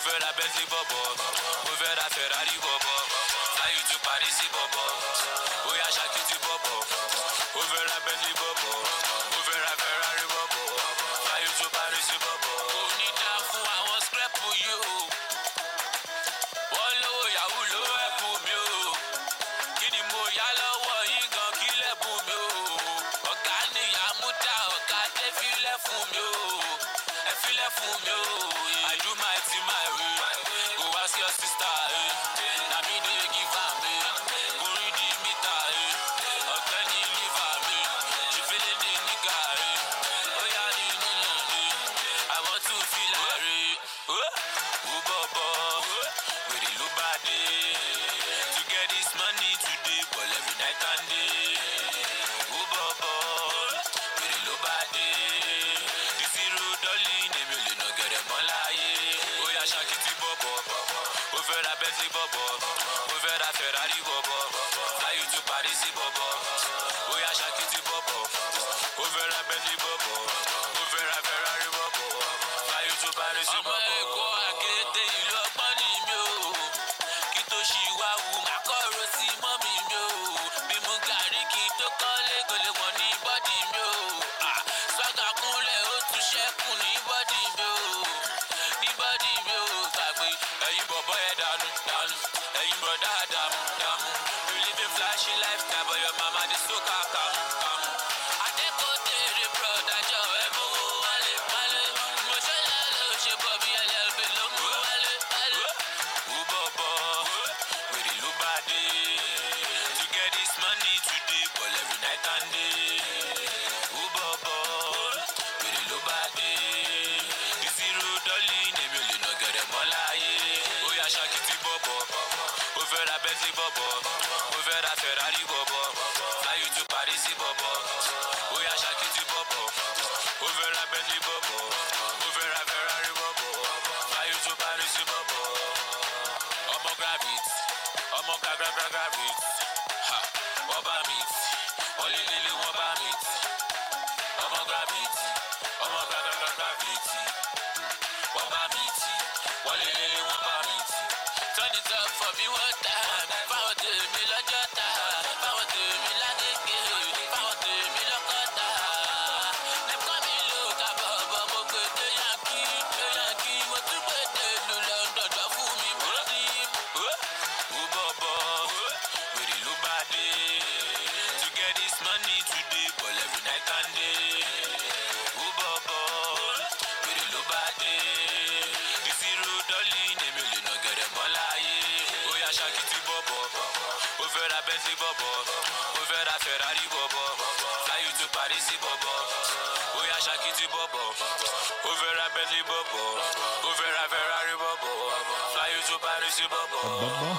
fẹ́ ra Bentley bọ̀bọ̀, mo fẹ́ ra Ferrari bọ̀bọ̀, fly you to Paris bọ̀bọ̀, ó yá ṣàkìtì bọ̀bọ̀, ó fẹ́ ra Bentley bọ̀bọ̀, mo fẹ́ ra Ferrari bọ̀bọ̀, fly you to Paris bọ̀bọ̀. Kò ní dá fún àwọn scrap yìí o, wọ́n lówó yahoo ló ẹ̀kú mi o, kí ni mo yá lọ́wọ́ yín gan kí lẹ́bùn mi o, ọ̀gá nìyá mú dá ọ̀gá dé fílẹ̀ fún mi o, ẹ fílẹ̀ fún mi o. I do my thing my way, go ask your sister, eh. Na me dey give am, eh. Go read the meter, eh. Ọ̀gbẹ́ni liver mi, she feeling the nigga, eh. Oya ni nínú mi, I want to feel like, eh. Ó bọ̀bọ̀, wèrè ló bá dé. To get this money today, ball every night and day. Ó bọ̀bọ̀, wèrè ló bá dé. Ìṣirò dọ́lì èmi ò lè nà gẹ̀rẹ̀ mọ́ láyé. Ó yá ṣàkìtì bọ̀bọ̀, ó fẹ́ ra Bentley bọ̀bọ̀, ó fẹ́ ra Ferrari bọ̀bọ̀, fly you to Paris bọ̀bọ̀. Ó yá ṣàkìtì bọ̀bọ̀, ó fẹ́ ra Bentley bọ̀bọ̀, ó fẹ́ ra Ferrari bọ̀bọ̀, fly you to Paris bọ̀bọ̀. Ọmọ Èkó àkété ìlú ọgbọ́n ni mi ò, kí tó ṣì wá wù má kọ̀rọ̀ sí mọ́mì mi ò, bí mo gàrí kí tó kọ́lé kò lè wọ̀n ní bọ́dì mi ò. Swaga kúnlẹ̀ ó tún ṣẹ́kù ní bọ́dì mi ò, ní bọ́dì mi ò gbàgbé. Ẹ̀yin bọ̀bọ̀ ẹ̀ dànù dànù, ẹ̀yin bọ̀dá dàmú dàmú. You live in flashy lifestyle but your mama dey so kàkàmù kàmù. Adékòtèrè broda jọ ẹ mú wálé wálé. Mo ṣẹlẹ̀ ló ṣe bọ̀ bí ẹlẹ́bí ló mú wálé wálé. Ó bọ̀bọ̀, wèrè ló bá dé. To get this money today, ball every night and day. Ó bọ̀bọ̀, wèrè ló bá dé. Ìṣirò dọ́lì èmi ò lè nà gẹ̀rẹ̀ mọ́ láyé. Ó yá ṣàkìtì bọ̀bọ̀, ó fẹ́ ra Bentley bọ̀bọ̀, ó fẹ́ ra Ferrari bọ̀bọ̀, fly you to Paris bọ̀bọ̀. Ó yá ṣàkìtì bọ̀bọ̀, ó fẹ́ ra Bentley bọ̀bọ̀, ó fẹ́ ra Ferrari bọ̀bọ̀, fly you to Paris bọ̀bọ̀. Ọmọ gravity, ọmọ gra gra gra gravity, ha, wọ́n bá mi tì, wọ́n lé lé lé wọ́n bá mi tì. Ọmọ gravity, ọmọ gra gra gra gravity, wọ́n bá mi tì, wọ́n lé lé lé wọ́n bá mi tì. Turn it up for me one time, fáwọn tèmi lọ́jọ́ ta, fáwọn tèmi lágége, fáwọn tèmi lọ́kọ́ta. Lẹ́kọ́ mi ló ka bọ̀bọ̀, mo gbé dé Yankee, dé Yankee, mo tún gbé dé ìlú London, jọ fún mi bọ́dí. Ó bọ̀bọ̀, wèrè ló bá dé. To get this money today, ball every night and day. Ó bọ̀bọ̀, wèrè ló bá dé. Ìṣirò dọ́lì èmi ò lè nà gẹ̀rẹ̀ mọ́ láyé. Ó yá ṣàkìtì bọ̀bọ̀, ó fẹ́ ra Bentley bọ̀bọ̀, ó fẹ́ ra Ferrari bọ̀bọ̀, fly you to Paris bọ̀bọ̀. Ó yá ṣàkìtì bọ̀bọ̀, ó fẹ́ ra Bentley bọ̀bọ̀, ó fẹ́ ra Ferrari bọ̀bọ̀, fly you to Paris bọ̀bọ̀. Bọ̀bọ̀.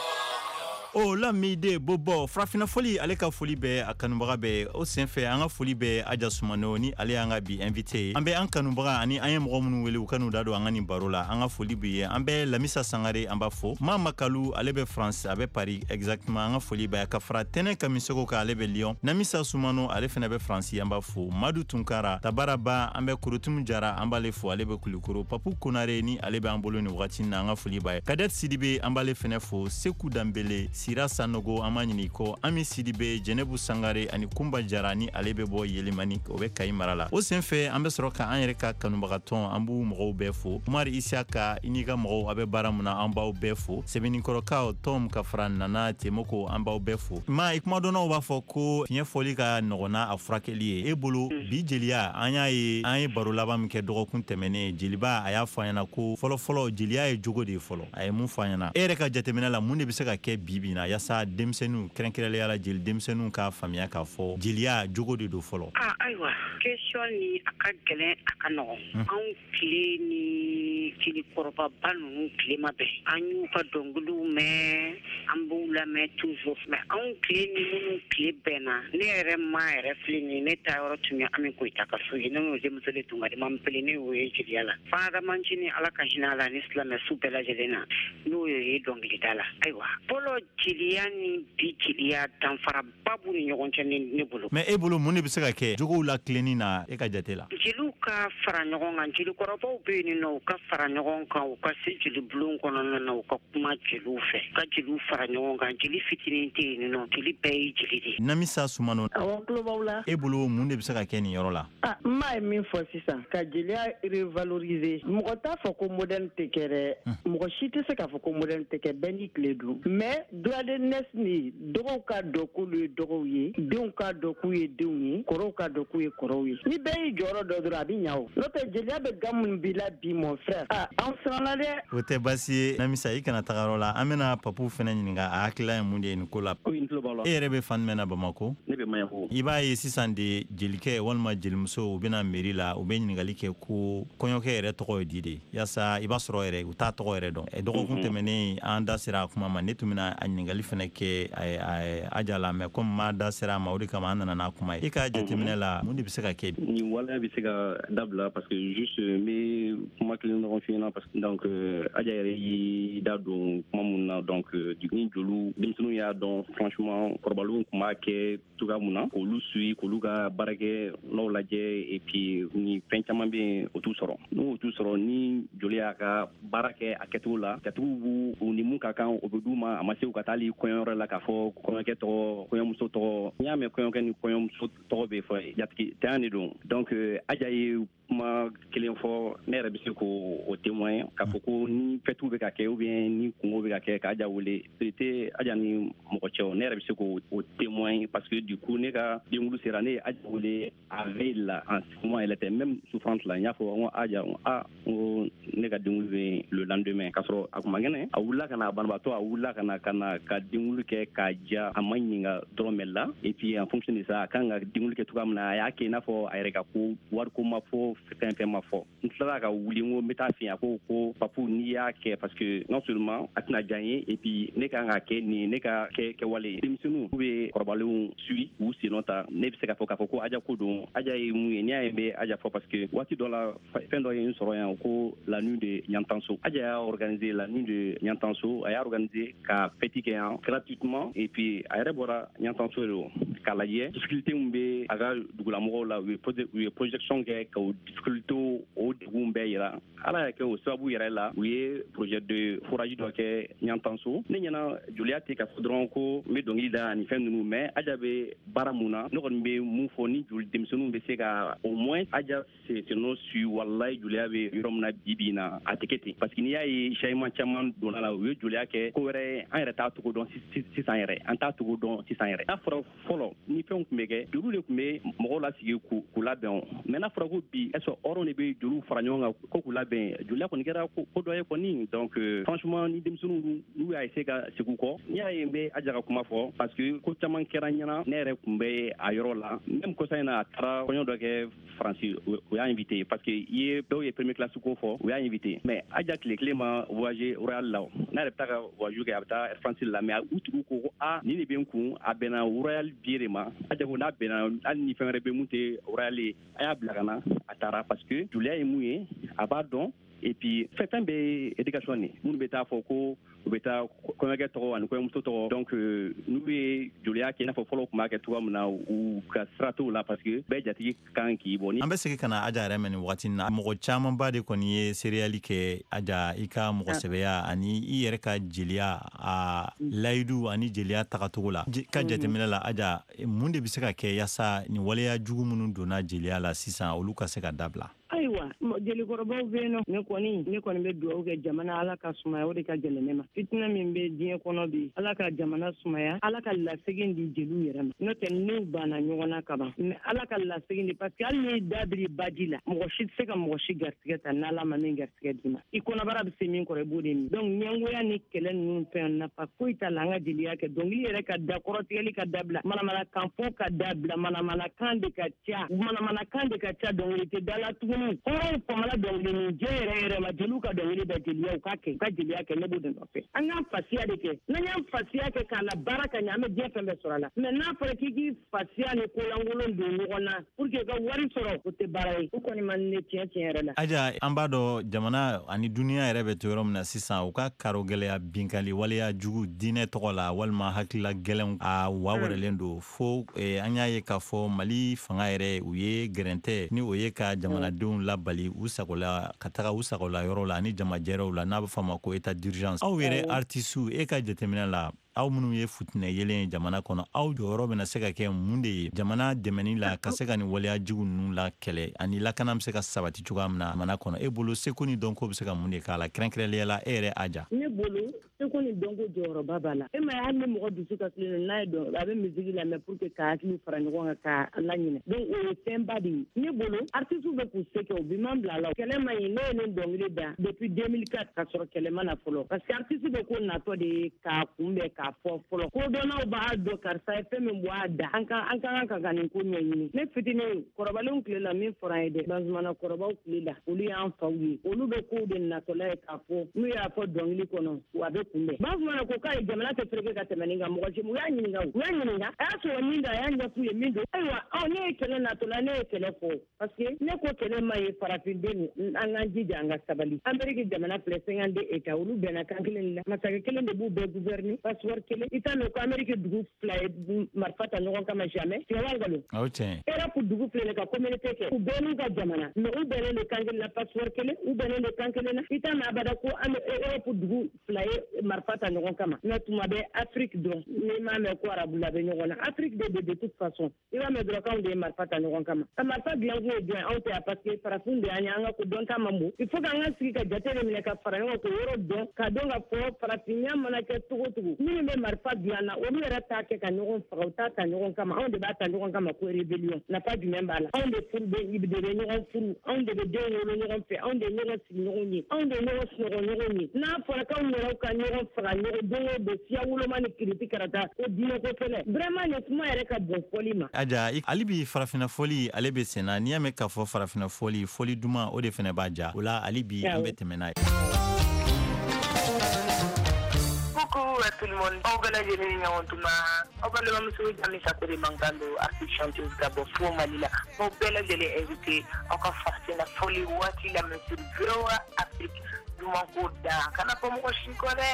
O Lamide Bobo Farafina Foli ale ka foli bɛ a kanubaga bɛɛ o senfɛ an ka foli bɛ Aja Sumano ni ale y'an ka bi invité ye. An bɛ an kanubaga ani an ye mɔgɔ minnu wele u ka n'u da don an ka nin baro la, an ka foli b'i ye. An bɛ Lamisa Sangare an b'a fo. Ma Makalu ale bɛ France, a bɛ Paris exactement, an ka foli b'a ye. Ka fara Tɛnɛ Kamisoko kan ale bɛ Lyon. Namisa Sumano ale fana bɛ France, an b'a fo. Madu Tunkara Tabaraba an bɛ Kurutum Jara an b'ale fo, ale bɛ Kulikoro. Papu Konare ni ale bɛ an bolo nin wagati in na, an ka foli b'a ye. Kadet Sidibe an b'ale fana fo. Seku Danbele, Sira Sanogo an b'a ɲini kɔ. Ami Sidibe, Jɛnɛbu Sangare ani Kunba Jara ni ale bɛ bɔ Yelimani, o bɛ Kayi mara la. O senfɛ an bɛ sɔrɔ ka an yɛrɛ ka kanubagatɔn an b'u mɔgɔw bɛɛ fo. Umar Isiaka i n'i ka mɔgɔw a bɛ baara mun na an b'aw bɛɛ fo. Sɛbɛnnikɔrɔkaw Tom ka fara Nana Temoko an b'aw bɛɛ fo. Ma i kumadɔnnaw b'a fɔ ko fiɲɛ fɔli ka nɔgɔn n'a a furakɛli ye. E bolo bi jeliya an y'a ye, an ye baro laban min kɛ dɔgɔkun tɛmɛnen, jeliba a y'a fɔ an ɲɛna ko fɔlɔfɔlɔ jeliya ye jogo de ye fɔlɔ. A ye mun fɔ an ɲɛna? E yɛrɛ ka jateminɛ la mun de bɛ se ka kɛ bi bi in na yaasa denmisɛnninw kɛrɛnkɛrɛnnenya la jeli denmisɛnninw k'a faamuya k'a fɔ jeliya jogo de don fɔlɔ? Ah, ayiwa, question ni a ka gɛlɛn a ka nɔgɔn. Anw tile ni jelikɔrɔbaba ninnu tile ma bɛn. An y'u ka dɔnkiliw mɛn, an b'u lamɛn toujours. Mais anw tile ni minnu tile bɛnna, ne yɛrɛ ma yɛrɛ filɛ nin ye, ne taa yɔrɔ tun ye Ami Koyita ka so ye. Ne n'o denmuso de tun ka di, ma n pele ne y'o ye jeliya la. Fadama Ncinin Ala ka hinɛ a la ni silamɛ su bɛɛ lajɛlen na, n'o ye dɔnkilida la. Ayiwa, fɔlɔ jeliya ni bi jeliya danfaraba b'u ni ɲɔgɔn cɛ ne bolo. Mais e bolo mun de bɛ se ka kɛ jogow la tilenni na e ka jate la? Jeliw ka fara ɲɔgɔn kan, jelikɔrɔbaw bɛ yen nɔ, u ka fara fara ɲɔgɔn kan, u ka se jelibulon kɔnɔna na, u ka kuma jeliw fɛ, ka jeliw fara ɲɔgɔn kan. Jeli fitinin tɛ yen nɔ, jeli bɛɛ ye jeli de. Namisa Sumano, awɔ, tulo b'aw la. E bolo mun de bɛ se ka kɛ nin yɔrɔ la? Ah, n m'a ye min fɔ sisan, ka jeliya revaloriser. Mɔgɔ t'a fɔ ko moderne tɛ kɛ dɛ, mɔgɔ si tɛ se k'a fɔ ko moderne tɛ kɛ, bɛɛ n'i tile don. Mais droit d'aînesse ni dɔgɔw k'a dɔn k'olu ye dɔgɔw ye, denw k'a dɔn k'u ye denw ye, kɔrɔw k'a dɔn k'u ye kɔrɔw ye. Ni bɛɛ y'i jɔyɔrɔ dɔ dɔrɔn, a bɛ ɲa o. N'o tɛ, jeliya bɛ ga minnu b'i la bi, mon frère, ah, an siranna dɛ. O tɛ baasi ye, Namisa, i kana taga yɔrɔ la. An bɛna Papu fɛnɛ ɲininka a hakilila ye mun de ye nin ko la. Ko n tulo b'aw la. E yɛrɛ bɛ fan jumɛn na Bamako? Ne bɛ Maɲanko. I b'a ye sisan de, jelikɛ walima jelimuso, u bɛna mairie la, u bɛ ɲininkali kɛ ko kɔɲɔkɛ yɛrɛ tɔgɔ ye di de, yaasa i b'a sɔrɔ yɛrɛ u t'a tɔgɔ yɛrɛ dɔn. Dɔgɔkun tɛmɛnen, an da sera a kuma ma, ne tun bɛna a ɲininkali fɛnɛ kɛ Aja la, mais comme ma da sera a ma, o de kama an nana n'a kuma ye. E ka jateminɛ la, mun de bɛ se ka kɛ? Nin waleya bɛ se ka dabila, parce que juste n bɛ kuma kelen dɔrɔn f'i ɲɛna, parce que donc Aja yɛrɛ y'i da don kuma mun na, donc ni joliw denmisɛnninw y'a dɔn, franchement, kɔrɔbalenw tun b'a kɛ cogoya mun na, k'olu suit, k'olu ka baarakɛ n'o lajɛ, et puis ni fɛn caman bɛ yen, o t'u sɔrɔ. N'o t'u sɔrɔ, ni joli y'a ka baara kɛ a kɛcogo la, jatigiw b'u u ni mun ka kan, o bɛ d'u ma. A ma se u ka taa hali kɔɲɔyɔrɔ la k'a fɔ kɔɲɔkɛ tɔgɔ, kɔɲɔmuso tɔgɔ. N'i y'a mɛn kɔɲɔkɛ ni kɔɲɔmuso tɔgɔ bɛ fɔ, jatigi tanya de don. Donc Aja ye kuma kelen fɔ, ne yɛrɛ bɛ se k'o témoin, k'a fɔ ko ni fɛtiw bɛ ka kɛ ou bien ni kungo bɛ ka kɛ, k'Aja wele, tɛ Aja ni mɔgɔ cɛ o. Ne yɛrɛ bɛ se k'o témoin, parce que du coup ne ka denkulu sera, ne ye Aja wele a veille la, en ce moment elle était même souffrante la. N y'a fɔ n ko Aja, ah, n ko ne ka denkulu bɛ le lendemain, k'a sɔrɔ a kun man kɛnɛ. A wulila ka na, banabaatɔ, a wulila ka na ka na ka denkulu kɛ k'a diya, a ma ɲininka dɔrɔmɛ la. Et puis en fonction de ça, a kan ka denkulu kɛ cogoya min na, a y'a kɛ i n'a fɔ a yɛrɛ ka ko, wariko ma fɔ, fɛn fɛn ma fɔ. N tilala ka wuli, n ko n bɛ taa fɛ, a ko ko Papu, n'i y'a kɛ, parce que non seulement a tɛna diya n ye, et puis ne kan ka kɛ nin ne ka kɛ kɛwale ye. Denmisɛnninw k'u bɛ kɔrɔbalenw suit, k'u sennɔ ta. Ne bɛ se k'a fɔ k'a fɔ ko Aja ko don. Aja ye mun ye? N'i y'a ye n bɛ Aja fɔ, parce que waati dɔ la, fɛn dɔ ye n sɔrɔ yan ko la nuit de Ɲantanso. Aja y'a organisé, la nuit de Ɲantanso, a y'a organisé ka fête kɛ yan gratuitement. Et puis a yɛrɛ bɔra Ɲantanso de don k'a lajɛ difficulté min bɛ a ka dugulamɔgɔw la. u ye u ye projection kɛ ka o difficulté, o degun bɛɛ yira. Ala y'a kɛ, o sababu yɛrɛ la, u ye projet de forage dɔ kɛ Ɲantanso. Ne ɲɛna, joliya tɛ k'a fɔ dɔrɔn ko n bɛ dɔnkili da ani fɛn ninnu, mais Aja bɛ baara mun na, ne kɔni bɛ mun fɔ, ni joli denmisɛnninw bɛ se ka au moins Aja senɔ su, walayi, joliya bɛ yɔrɔ min na bi bi in na, a tɛ kɛ ten, parce que n'i y'a ye changement caman donna la, u ye joliya kɛ ko wɛrɛ, an yɛrɛ t'a cogo dɔn sisan yɛrɛ, an t'a cogo dɔn sisan yɛrɛ. N'a fɔra fɔlɔ, ni fɛnw tun bɛ kɛ, joliw de tun bɛ mɔgɔw lasigi k'u labɛn, mais n'a fɔra ko bi, est ce que hɔrɔn de bɛ joliw fara ɲɔgɔn kan ko k'u labɛn? Joliya kɔni kɛra ko dɔ ye kɔni. Donc franchement, ni denmisɛnninw n'u y'a essayer ka segin u kɔ, n'i y'a ye n bɛ Aja ka kuma fɔ, parce que ko caman kɛra ɲɛna, ne yɛrɛ tun bɛ a yɔrɔ la. Même kɔsa in na, a taara kɔɲɔ dɔ kɛ Faransi, u y'a invité, parce que i ye dɔw ye premier classe ko fɔ, u y'a invité, mais Aja tile kelen ma voyager Royal la. N'a yɛrɛ bɛ taa ka voyage kɛ, a bɛ taa Air France la, mais u tigiw ko ko a nin de bɛ n kun, a bɛnna Royal billet de ma. Aja ko n'a bɛnna, hali ni fɛn wɛrɛ bɛ mun tɛ Royal ye, a y'a bila ka na. A taara, parce que joliya ye mun ye, a b'a dɔn. Et puis fɛn fɛn bɛ éducation de, minnu bɛ taa fɔ ko u bɛ taa kɔɲɔkɛ tɔgɔ ani kɔɲɔmuso tɔgɔ, donc n'u ye joliya kɛ i n'a fɔ fɔlɔ tun b'a kɛ cogoya min na, u ka sira t'o la, parce que bɛɛ jatigi kan k'i bɔ. An bɛ segin ka na Aja yɛrɛ mɛn nin wagati na. Mɔgɔ camanba de kɔni ye seereyali kɛ, Aja, i ka mɔgɔsɛbɛya ani i yɛrɛ ka jeliya, a layidu ani jeliya tagacogo la. Ka jateminɛ la, Aja, mun de bɛ se ka kɛ yaasa nin waleya jugu minnu donna jeliya la sisan, olu ka se ka dabila? Ayiwa, jelikɔrɔbaw bɛ yen nɔ. Ne kɔni ne kɔni bɛ dugawu kɛ jamana, Ala ka sumaya, o de ka gɛlɛn ne ma. Fitinɛ min bɛ diɲɛ kɔnɔ bi, Ala ka jamana sumaya, Ala ka lasegin di jeliw yɛrɛ ma. N'o tɛ, n'u banna ɲɔgɔn na kaban, mais Ala ka lasegin di, parce que hali n'i da biri baji la, mɔgɔ si tɛ se ka mɔgɔ si garisɛgɛ ta n'Ala ma min garisɛgɛ d'i ma. I kɔnɔbara bɛ se min kɔrɔ, i b'o de min. Donc ɲɛngoya ni kɛlɛ ninnu fɛn, nafa foyi t'a la. An ka jeliya kɛ, dɔnkili yɛrɛ ka da, kɔrɔtigɛli ka dabila, manamanakan fɔ ka dabila. Manamanakan de ka ca, manamanakan de ka ca, dɔnkili tɛ da la tuguni. Hɔrɔnw famana dɔnkili nin jɛ yɛrɛ yɛrɛ ma. Jeliw ka dɔnkili da, jeliya u ka kɛ, u ka jeliya kɛ, ne b'o de nɔfɛ. An k'an fasiya de kɛ. N'an y'an fasiya kɛ k'a la baara ka ɲɛ, an bɛ diɲɛ fɛn bɛɛ sɔrɔ a la. Mais n'a fɔra k'i k'i fasiya ni kolankolon don ɲɔgɔn na pour que i ka wari sɔrɔ, o tɛ baara ye. O kɔni man ne tiɲɛ tiɲɛ yɛrɛ la. Aja, an b'a dɔn jamana ani duniya yɛrɛ bɛ to yɔrɔ min na sisan, u ka karo gɛlɛya, binkali waleya jugu diinɛ tɔgɔ la walima hakilila gɛlɛnw, a wa wɛrɛlen don fo. An y'a ye k'a fɔ Mali fanga yɛrɛ, u ye gɛrɛntɛ ni o ye ka jamanadenw jamanadenw labali u sagola ka taga u sagola yɔrɔ la ani jamajɛrɛw la, n'a bɛ fɔ a ma ko état d'urgence. Aw yɛrɛ artisiw, e ka jateminɛ la, aw minnu ye futinɛ yelen ye jamana kɔnɔ, aw jɔyɔrɔ bɛna se ka kɛ mun de ye jamana dɛmɛni la ka se ka nin waleya jugu ninnu la kɛlɛ ani lakana bɛ se ka sabati cogoya min na jamana kɔnɔ? E bolo, seko ni dɔnko bɛ se ka mun de k'a la, kɛrɛnkɛrɛnnenya la e yɛrɛ Aja? Ne bolo, seko ni dɔnko jɔyɔrɔba b'a la. E ma ye, hali ni mɔgɔ dusu kasilen don, n'a ye dɔn, a bɛ musique lamɛn pour que ka hakiliw fara ɲɔgɔn kan ka laɲinɛ. Donc o ye fɛnba de ye. Ne bolo, artistes bɛ k'u se kɛ, u bi man bila a la. Kɛlɛ man ɲi. Ne ye nin dɔnkili da depuis deux mille quatre ka sɔrɔ kɛlɛ ma na fɔlɔ, parce que artiste bɛ ko natɔ de ye k'a kunbɛn k'a fɔ fɔlɔ. Kodɔnnaw b'a dɔn karisa ye fɛn min bɔ a da, an ka an ka kan ka ka nin ko ɲɛɲini. Ne fitinin, kɔrɔbalenw tile la, min fɔra an ye dɛ, Bazumana kɔrɔbaw tile la, olu y'an faw ye, olu bɛ kow de natɔla ye k'a fɔ. N'u y'a fɔ dɔnkili kɔnɔ, a bɛ kunbɛn. Bazumana ko k'a ye jamana tɛ fereke ka tɛmɛ nin kan. Mɔgɔ si, u y'a ɲininka, u y'a ɲininka, a y'a sɔrɔ min don, a y'a ɲɛf'u ye min don. Ayiwa, ɔ ne ye kɛlɛ natɔla, ne ye kɛlɛ fɔ parce que ne ko kɛlɛ ma ye. Farafinden, an k'an jija, an ka sabali. Ameriki jamana filɛ, cinquante-deux états, olu bɛnna kan kelen de la. Masakɛ kelen de b'u bɛɛ gouverner, passeport kelen. I t'a mɛn ko Ameriki dugu fila ye marifa ta ɲɔgɔn kama, jamais. Tiɲɛ wa nkalon? O tiɲɛ. Europe dugu filɛ ka communauté kɛ, u bɛɛ n'u ka jamana, mais u bɛnnen don kan kelen na, passeport kelen, u bɛnnen don kan kelen na. I t'a mɛn abada ko an Europe dugu fila ye marifa ta ɲɔgɔn kama. Mais tuma bɛɛ Afrique dɔrɔn, n'i m'a mɛn ko arabula bɛ ɲɔgɔn na, Afrique de de toute façon, i b'a mɛn dɔrɔn k'anw de ye marifa ta ɲɔgɔn kama. Ka marifa dilan kun ye jɔn ye? Anw tɛ yan, parce que farafin de y'an ye. An ka ko dɔn ta man bon. Il faut k'an ka sigi ka jate de minɛ ka fara ɲɔgɔn k'o yɔrɔ dɔn, ka dɔn ka fɔ farafinya mana kɛ cogo cogo, minnu bɛ marifa dilan na, olu yɛrɛ t'a kɛ ka ɲɔgɔn faga, u t'a ta ɲɔgɔn kama. Anw de b'a ta ɲɔgɔn kama ko rébellion. Nafa jumɛn b'a la? Anw de furu bɛ de bɛ ɲɔgɔn furu, anw de bɛ denw wolo ɲɔgɔn fɛ, anw de ɲɔgɔn sigi ɲɔgɔn ye, anw de ɲɔgɔn sunɔgɔ ɲɔgɔn ye. N'a fɔra k'anw yɛrɛw ka ɲɔgɔn faga ɲɔgɔn don o don, siya woloma ni kiriti karata ko diinɛ ko fɛnɛ, vraiment nin kuma yɛrɛ ka bon fɔli ma. Aja, hali bi farafinna fɔli ale bɛ sen na. N'i y'a mɛn k'a fɔ farafinna fɔli, fɔli duman, o de fɛnɛ b'a ja o la. Hali bi an bɛ tɛmɛ n'a ye. Coucou à tout le monde. Aw bɛɛ lajɛlen ni ɲɔgɔn tuma. Aw balimamuso Jami Sakure mankan don, artiste chanteuse ka bɔ fo Mali la. Aw bɛɛ lajɛlen invité aw ka farafinna fɔli waati lamɛn sur V O A Afrique. Duman ko da kana fɔ mɔgɔ si kɔ dɛ.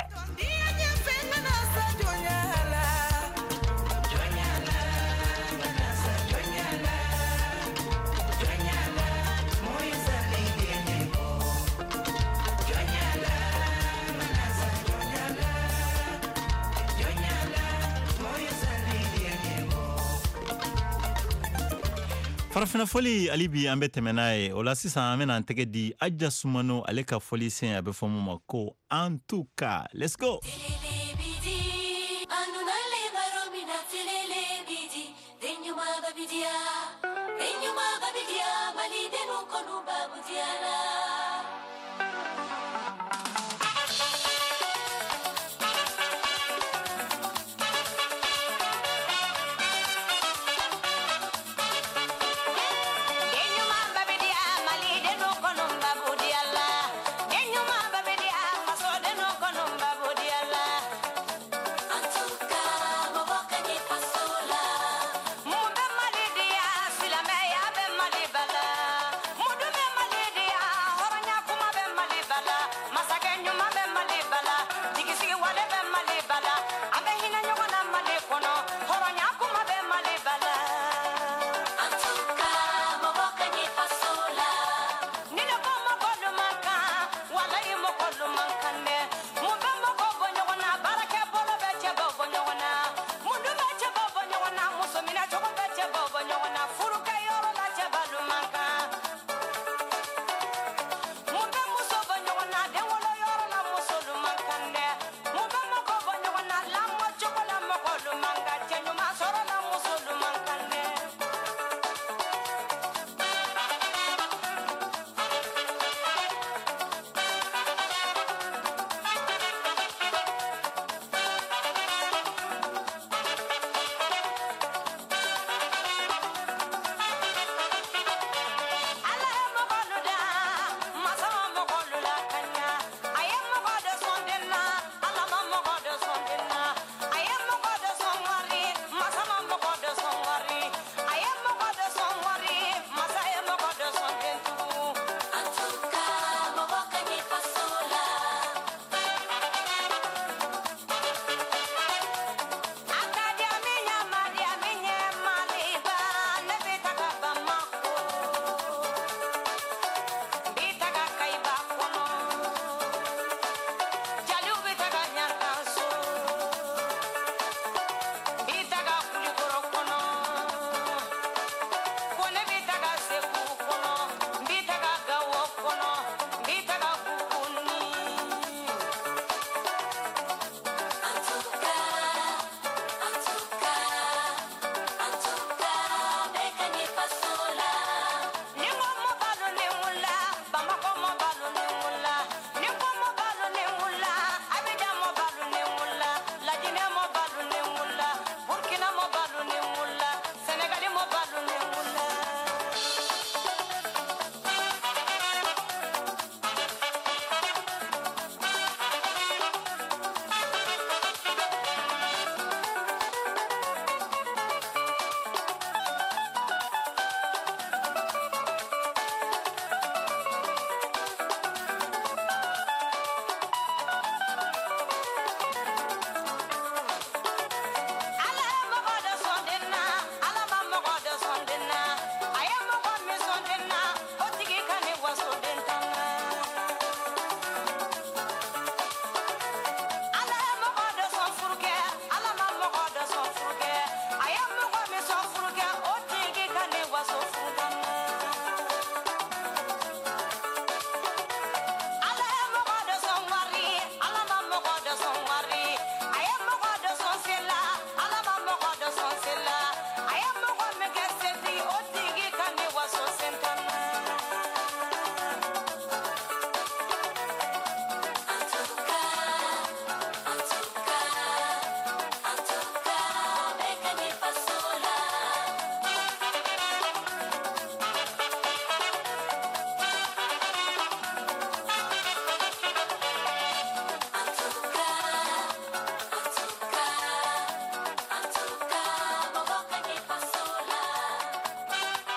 Farafinna fɔli, hali bi an bɛ tɛmɛ n'a ye. O la sisan, an bɛna an tɛgɛ di Aja Sumano, ale ka fɔli sen, a bɛ fɔ mun ma ko en tout cas. Let's go. Mali.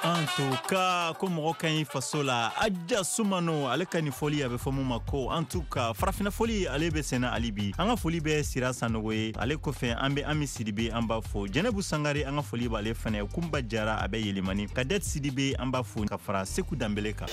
En tout cas, ko mɔgɔ ka ɲi faso la. Aja Sumano ale ka nin fɔli a bɛ fɔ mun ma ko en tout cas farafinna fɔli ale bɛ senna hali bi. An ka foli bɛ Sira Sanogo ye, ale kɔfɛ an bɛ Ami Sidibe an b'a fo, Jɛnɛbu Sangare an ka foli b'ale fɛnɛ, Kunba Jara a bɛ Yelimani, Kadɛt Sidibe an b'a fo ka fara Seku Danbele kan.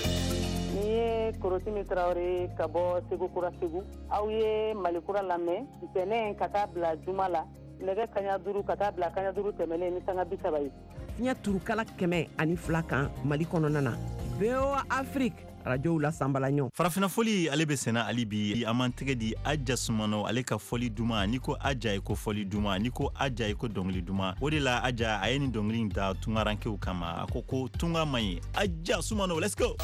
Ni ye Korotimi Tarawele ka bɔ Segu Kura Segu, aw ye Malikura lamɛn ntɛnɛn ka taa bila juma la nɛgɛ kaɲa duuru ka taa bila kaɲa duuru tɛmɛnen ni sanga bi saba ye. Fiɲɛ turukala kɛmɛ ani fila kan Mali kɔnɔna na. V O A Afrique radio la sanbala ɲɔ. Farafinna fɔli ale bɛ senna hali bi. An b'an tɛgɛ di Aja Sumano ale ka fɔli duman. N'i ko Aja i ko fɔli duman, n'i ko Aja i ko dɔnkili duman. O de la Aja a ye nin dɔnkili in da tungarankew kama. A ko ko tunga man ɲi. Aja Sumano, let's go.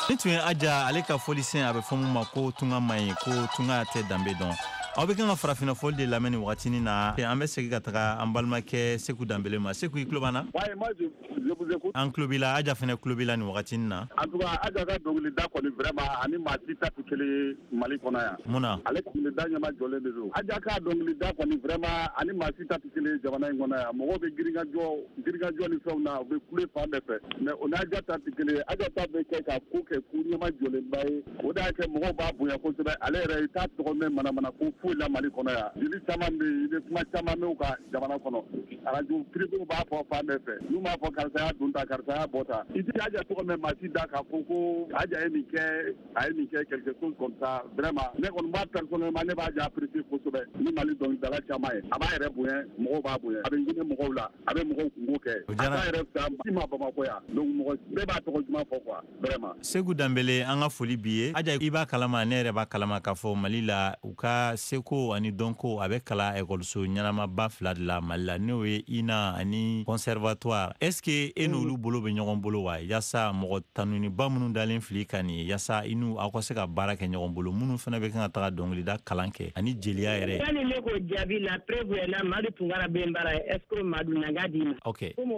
Ni tun ye Aja ale ka fɔlisen a bɛ fɔ mun ma ko tunga man ɲi, ko tunga tɛ danbe dɔn. Aw bɛ kan ka farafinna fɔli de lamɛn nin wagatinin na. An bɛ segin ka taga an balimakɛ Seku Danbele ma. Seku, i tulo b'an na? Ouais, moi je, je vous écoute. An tulo b'i la, Aja fɛnɛ tulo b'i la nin wagatinin na. En tout cas, Aja ka dɔnkilida kɔni vraiment ani maa si ta tɛ kelen ye Mali kɔnɔ yan. Mun na? Ale dɔnkilida ɲɛma jɔlen de don. Aja ka dɔnkilida kɔni vraiment ani maa si ta tɛ kelen ye jamana in kɔnɔ yan. Mɔgɔw bɛ girinkajɔ girinkajɔ ni fɛnw na, u bɛ kule fan bɛɛ fɛ. Mais o n'Aja ta tɛ kelen ye. Aja ta bɛ kɛ ka ko kɛ ko ɲɛma jɔlenba ye. O de y'a kɛ mɔgɔw b'a bonya kosɛbɛ. Ale yɛrɛ i t'a tɔgɔ mɛn manamana ko foyi la Mali kɔnɔ yan. Jeli caman bɛ yen, i bɛ kuma caman mɛn u ka jamana kɔnɔ. Arajo privéw b'a fɔ fan bɛɛ fɛ. N'u m'a fɔ karisa y'a dun ta, karisa y'a bɔ ta. I tɛ Aja tɔgɔ mɛn maa si da k'a fɔ ko Aja ye nin kɛ, a ye nin kɛ quelque chose comme ça. Vraiment, ne kɔni b'a personnellement ne b'a Aja apprécier kosɛbɛ ni Mali dɔnkilidala caman ye. A b'a yɛrɛ bonya, mɔgɔw b'a bonya. A bɛ hinɛ mɔgɔw la, a bɛ mɔgɔw kungo kɛ. A t'a yɛrɛ fisaya si ma Bamakɔ yan. Donc mɔgɔ bɛɛ b'a tɔgɔ duman fɔ quoi, vraiment. Seku Danbele, an ka foli b'i ye. Aja, i b'a kalama, ne yɛrɛ b'a kalama k'a fɔ Mali la u ka seko ani dɔnko a bɛ kalan ekɔliso ɲɛnamaba fila de la Mali la, n'o ye I N A ani conservatoire. Est-ce que e n'olu bolo bɛ ɲɔgɔn bolo wa, yaasa mɔgɔ tanuniba minnu dalen fili ka nin ye, yaasa i n'u aw ka se ka baara kɛ ɲɔgɔn bolo, minnu fana bɛ kan ka taga dɔnkilida kalan kɛ ani jeliya yɛrɛ? Sani ne k'o jaabi, la preuve est là, Madu Tunkara bɛ n bara, est ce que Madu na n k'a d'i ma? Ok. Komi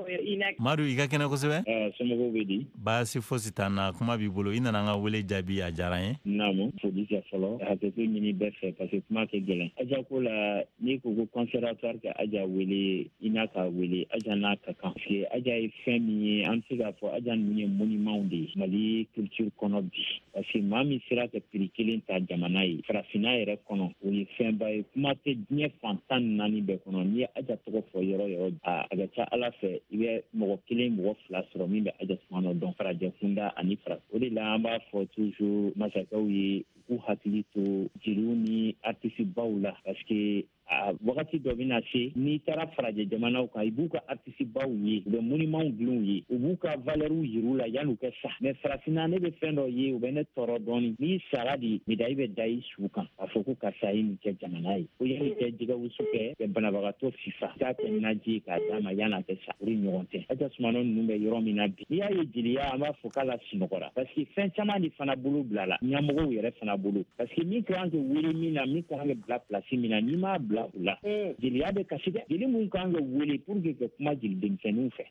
Madu, i ka kɛnɛ kosɛbɛ. Somɔgɔw bɛ di? Baasi fosi t'an na, kuma b'i bolo. I nana an ka wele jaabi, a diyara n ye. Naamu, foli kɛ fɔlɔ, hakɛto ɲini bɛɛ fɛ parce que kuma tɛ gɛlɛn. Aja ko la, n'i ko ko conservatoire ka Aja wele, i n'a k'a wele, Aja n'a ka kan. Parce que Aja ye fɛn min ye, an bɛ se k'a fɔ Aja ninnu ye monument de ye Mali culture kɔnɔ bi. Parce que maa min sera ka prix kelen ta jamana ye, farafinna yɛrɛ kɔnɔ, o ye fɛnba ye. Kuma tɛ diɲɛ fan tan ni naani bɛɛ kɔnɔ. N'i ye Aja tɔgɔ fɔ yɔrɔ yɔrɔ, a ka ca Ala fɛ i bɛ mɔgɔ kelen mɔgɔ fila sɔrɔ min bɛ Aja Sumano dɔn farajɛ kunda ani fara. O de la an b'a fɔ toujours masakɛw ye k'u hakili to jeliw ni artiste baw la, parce que A wagati dɔ bɛna se, n'i taara farajɛ jamanaw kan, i b'u ka artiste baw ye, u bɛ monumentw dilan u ye, u b'u ka valeurw yir'u la yan'u ka sa. Mais farafinna, ne bɛ fɛn dɔ ye, u bɛ ne tɔɔrɔ dɔɔni. N'i sara de, médaille bɛ da i su kan k'a fɔ ko karisa ye nin kɛ jamana ye, ko yanni kɛ jɛgɛ wusu kɛ ka banabagatɔ fifa k'a kɛ naji ye k'a d'a ma yan'a kɛ sa. O de ɲɔgɔn tɛ. Aja Sumano ninnu bɛ yɔrɔ min na bi, n'i y'a ye jeliya, an b'a fɔ k'a la sunɔgɔra, parce que fɛn caman de fana bolo bila la ɲɛmɔgɔw yɛrɛ fana bolo, parce que min kan ka wele min na, min kan ka bila place min na, n'i m'a bila o la, jeliya bɛ kasi dɛ. Jeli mun kan ka wele pour que ka kuma jeli denmisɛnninw fɛ,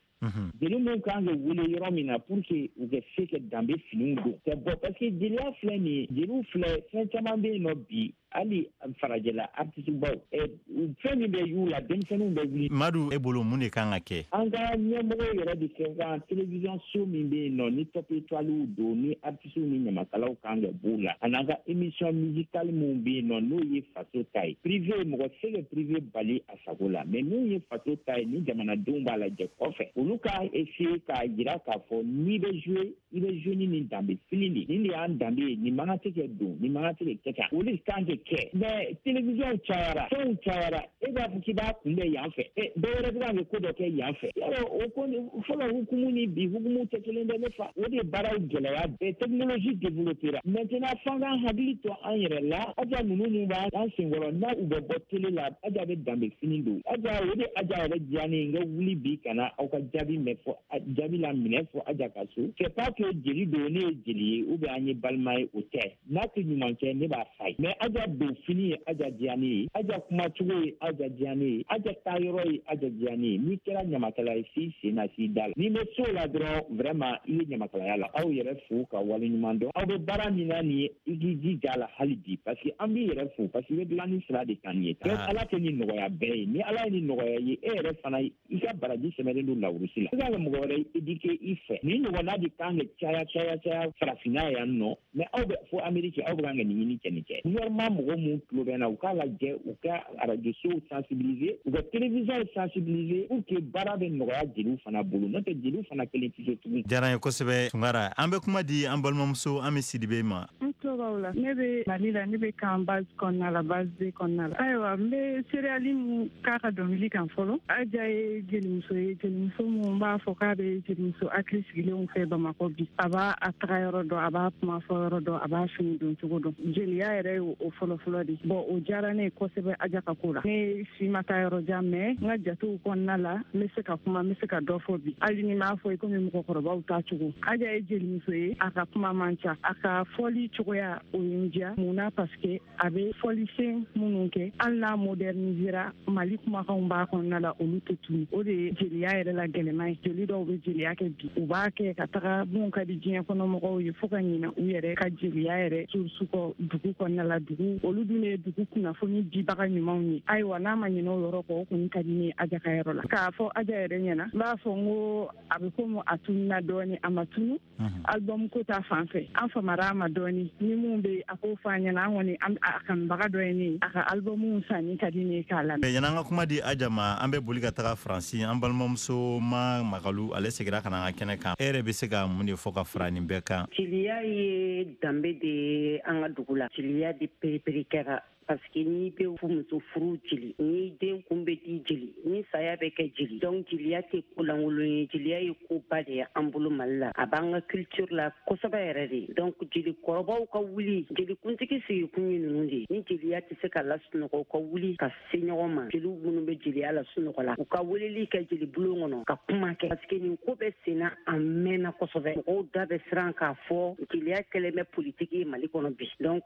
jeli mun kan ka wele yɔrɔ min na pour que u ka se ka danbe finiw don ka bɔ, parce que jeliya filɛ nin ye, jeliw filɛ, fɛn caman bɛ yen nɔ bi, hali farajɛla artiste baw, fɛn min bɛ y'u la, denmisɛnninw bɛ wuli. Madu, e bolo mun de kan ka kɛ? An ka ɲɛmɔgɔw yɛrɛ de kɛ kan télévision so min bɛ yen nɔ, ni top étoiles don, ni artistes ni ɲamakalaw kan ka b'o la, ani an ka émission musicale min bɛ yen nɔ, n'o ye faso ta ye. Privé, mɔgɔ tɛ se ka privé bali a sago la, mais min ye faso ta ye, ni jamanadenw b'a lajɛ kɔfɛ, olu ka essayer k'a jira k'a fɔ n'i bɛ jouer, i bɛ jouer ni nin danbe fini de, nin de y'an danbe ye, nin man kan tɛ kɛ don, nin man kan tɛ kɛ kɛ tan, o de kan ka kɛ. Mais télévision cayara, fɛnw cayara, e b'a fɔ k'i b'a kunbɛn yan fɛ, e dɔw wɛrɛ bɛ kan ka ko dɔ kɛ yan fɛ. Yarɔ, o ko fɔlɔ hukumu ni bi hukumu tɛ kelen dɛ, ne fa. O de baaraw gɛlɛya bɛɛ, technologie développera. Maintenant, f'an k'an hakili to an yɛrɛ la. Aja ninnu mun b'an senkɔrɔ, n'a u bɛ bɔ télé la, Aja bɛ danbe fini don. Aja, o de Aja yɛrɛ diya ne ye, n ka wuli bi ka na aw ka jaabi mɛn fɔ, jaabi la minɛ fɔ Aja ka so. C'est pas que jeli don, ne ye jeli ye ou bien an ye balima ye, o tɛ. N'a tɛ ɲuman kɛ, ne b'a fa ye. Mais Aja don fini ye Aja diya ne ye, Aja kumacogo ye Aja diya ne ye, Aja taayɔrɔ ye Aja diya ne ye. N'i kɛra ɲamakala ye, s'i sen na, s'i da la. N'i bɛ so la dɔrɔn, vraiment i ye ɲamakalaya la. Aw yɛrɛ fo ka waleɲuman dɔn. Aw bɛ baara min na nin ye, i k'i jija a la hali bi, parce que an b'i yɛrɛ fo, parce que i bɛ dilanni sira de kan nin ye. Donc Ala tɛ nin nɔgɔya bɛɛ ye. Ni Ala ye nin nɔgɔya ye, e yɛrɛ fana i ka baraji sɛmɛlen don lawurusi la. I kan ka mɔgɔ wɛrɛ éduquer i fɛ. Nin ɲɔgɔnna de kan ka caya caya caya farafinna yan nɔ. Mais aw bɛ fo Amérique, aw bɛ kan ka nin ɲini kɛ nin kɛ. Gouvernement mɔgɔ mun tulo bɛ na, u k'a lajɛ, u ka radio sow sensibiliser, u ka télévision sensibiliser pour que baara bɛ nɔgɔya jeliw fana bolo. N'o tɛ, jeliw fana kelen tɛ se tugun. Diyara n ye kosɛbɛ, Tunkara. An bɛ kuma di an balimamuso Ami Sidibe ma. N tulo b'aw la. Ne bɛ Mali la, ne bɛ kan base kɔnɔna la, base B kɔnɔna la. Ayiwa, n bɛ céréale mun k'a ka dɔnkili kan fɔlɔ. Aja ye jelimuso ye, jelimuso mun b'a fɔ k'a bɛ jelimuso hakili sigilenw fɛ Bamakɔ bi. A b'a a taga yɔrɔ dɔn, a b'a kuma fɔ yɔrɔ dɔn, a b'a fini don cogo dɔn. Jeliya yɛrɛ ye o fɔlɔfɔlɔ de. Bon, o diyara ne ye kosɛbɛ Aja ka ko la. Ne si ma taa yɔrɔ jan, mais n ka jatew kɔnɔna la, n bɛ se ka kuma, n bɛ se ka dɔ fɔ bi. Hali ni m'a fɔ i komi mɔgɔkɔrɔbaw ta cogo. Aja ye jelimuso ye, a ka kuma man ca, a ka fɔli cogoya o ye n diya. Mun na? Parce que a bɛ fɔlisen minnu kɛ, hali n'a modernisera, Mali kumakanw b'a kɔnɔna la, olu tɛ tunu. O de ye jeliya yɛrɛ la gɛlɛman ye. Jeli dɔw bɛ jeliya kɛ bi, u b'a kɛ ka taga mun ka di diɲɛ kɔnɔ mɔgɔw ye, fo ka ɲinɛ u yɛrɛ ka jeliya yɛrɛ source kɔ dugu kɔnɔna la. Dugu olu dun ye dugu kunnafoni dibaga ɲumanw ye. Ayiwa, n'a ma ɲinɛ o yɔrɔ kɔ, o kɔni ka di ne ye Aja ka yɔrɔ la. K'a fɔ Aja yɛrɛ ɲɛna, n b'a fɔ n ko a bɛ komi a tununa dɔɔni, a ma tunu. Album ko ta fan fɛ, an famara a ma dɔɔni. Ni mun bɛ a k'o fɔ an ɲɛna, an kɔni a kanubaga dɔ ye ne ye. A ka album sanni ka di ne ye k'a lamɛn. Yan'an ka kuma di Aja ma, an bɛ boli ka taga Faransi. An balimamuso Ma Magalu, ale seginna ka na an ka kɛnɛ kan. E yɛrɛ bɛ se ka mun de fɔ ka fara nin bɛɛ kan? Jeliya ye danbe de ye an ka dugu la. Jeliya de perepere kɛra, parce que n'i bɛ muso furu jeli, ni den kun bɛ di jeli, ni saya bɛ kɛ jeli. Donc jeliya tɛ ko lankolon ye, jeliya ye koba de ye an bolo Mali la. A b'an ka culture la kosɛbɛ yɛrɛ de. Donc jelikɔrɔbaw ka wuli, jelikuntigi sigikun ye ninnu de ye. Ni jeliya tɛ se ka lasunɔgɔ, u ka wuli ka se ɲɔgɔn ma. Jeliw minnu bɛ jeliya lasunɔgɔ la, u ka weleli kɛ jeli bulon kɔnɔ ka kuma kɛ, parce que nin ko bɛ senna a mɛnna kosɛbɛ. Mɔgɔw da bɛ siran k'a fɔ jeliya kɛlen bɛ politiki ye Mali kɔnɔ bi. Donc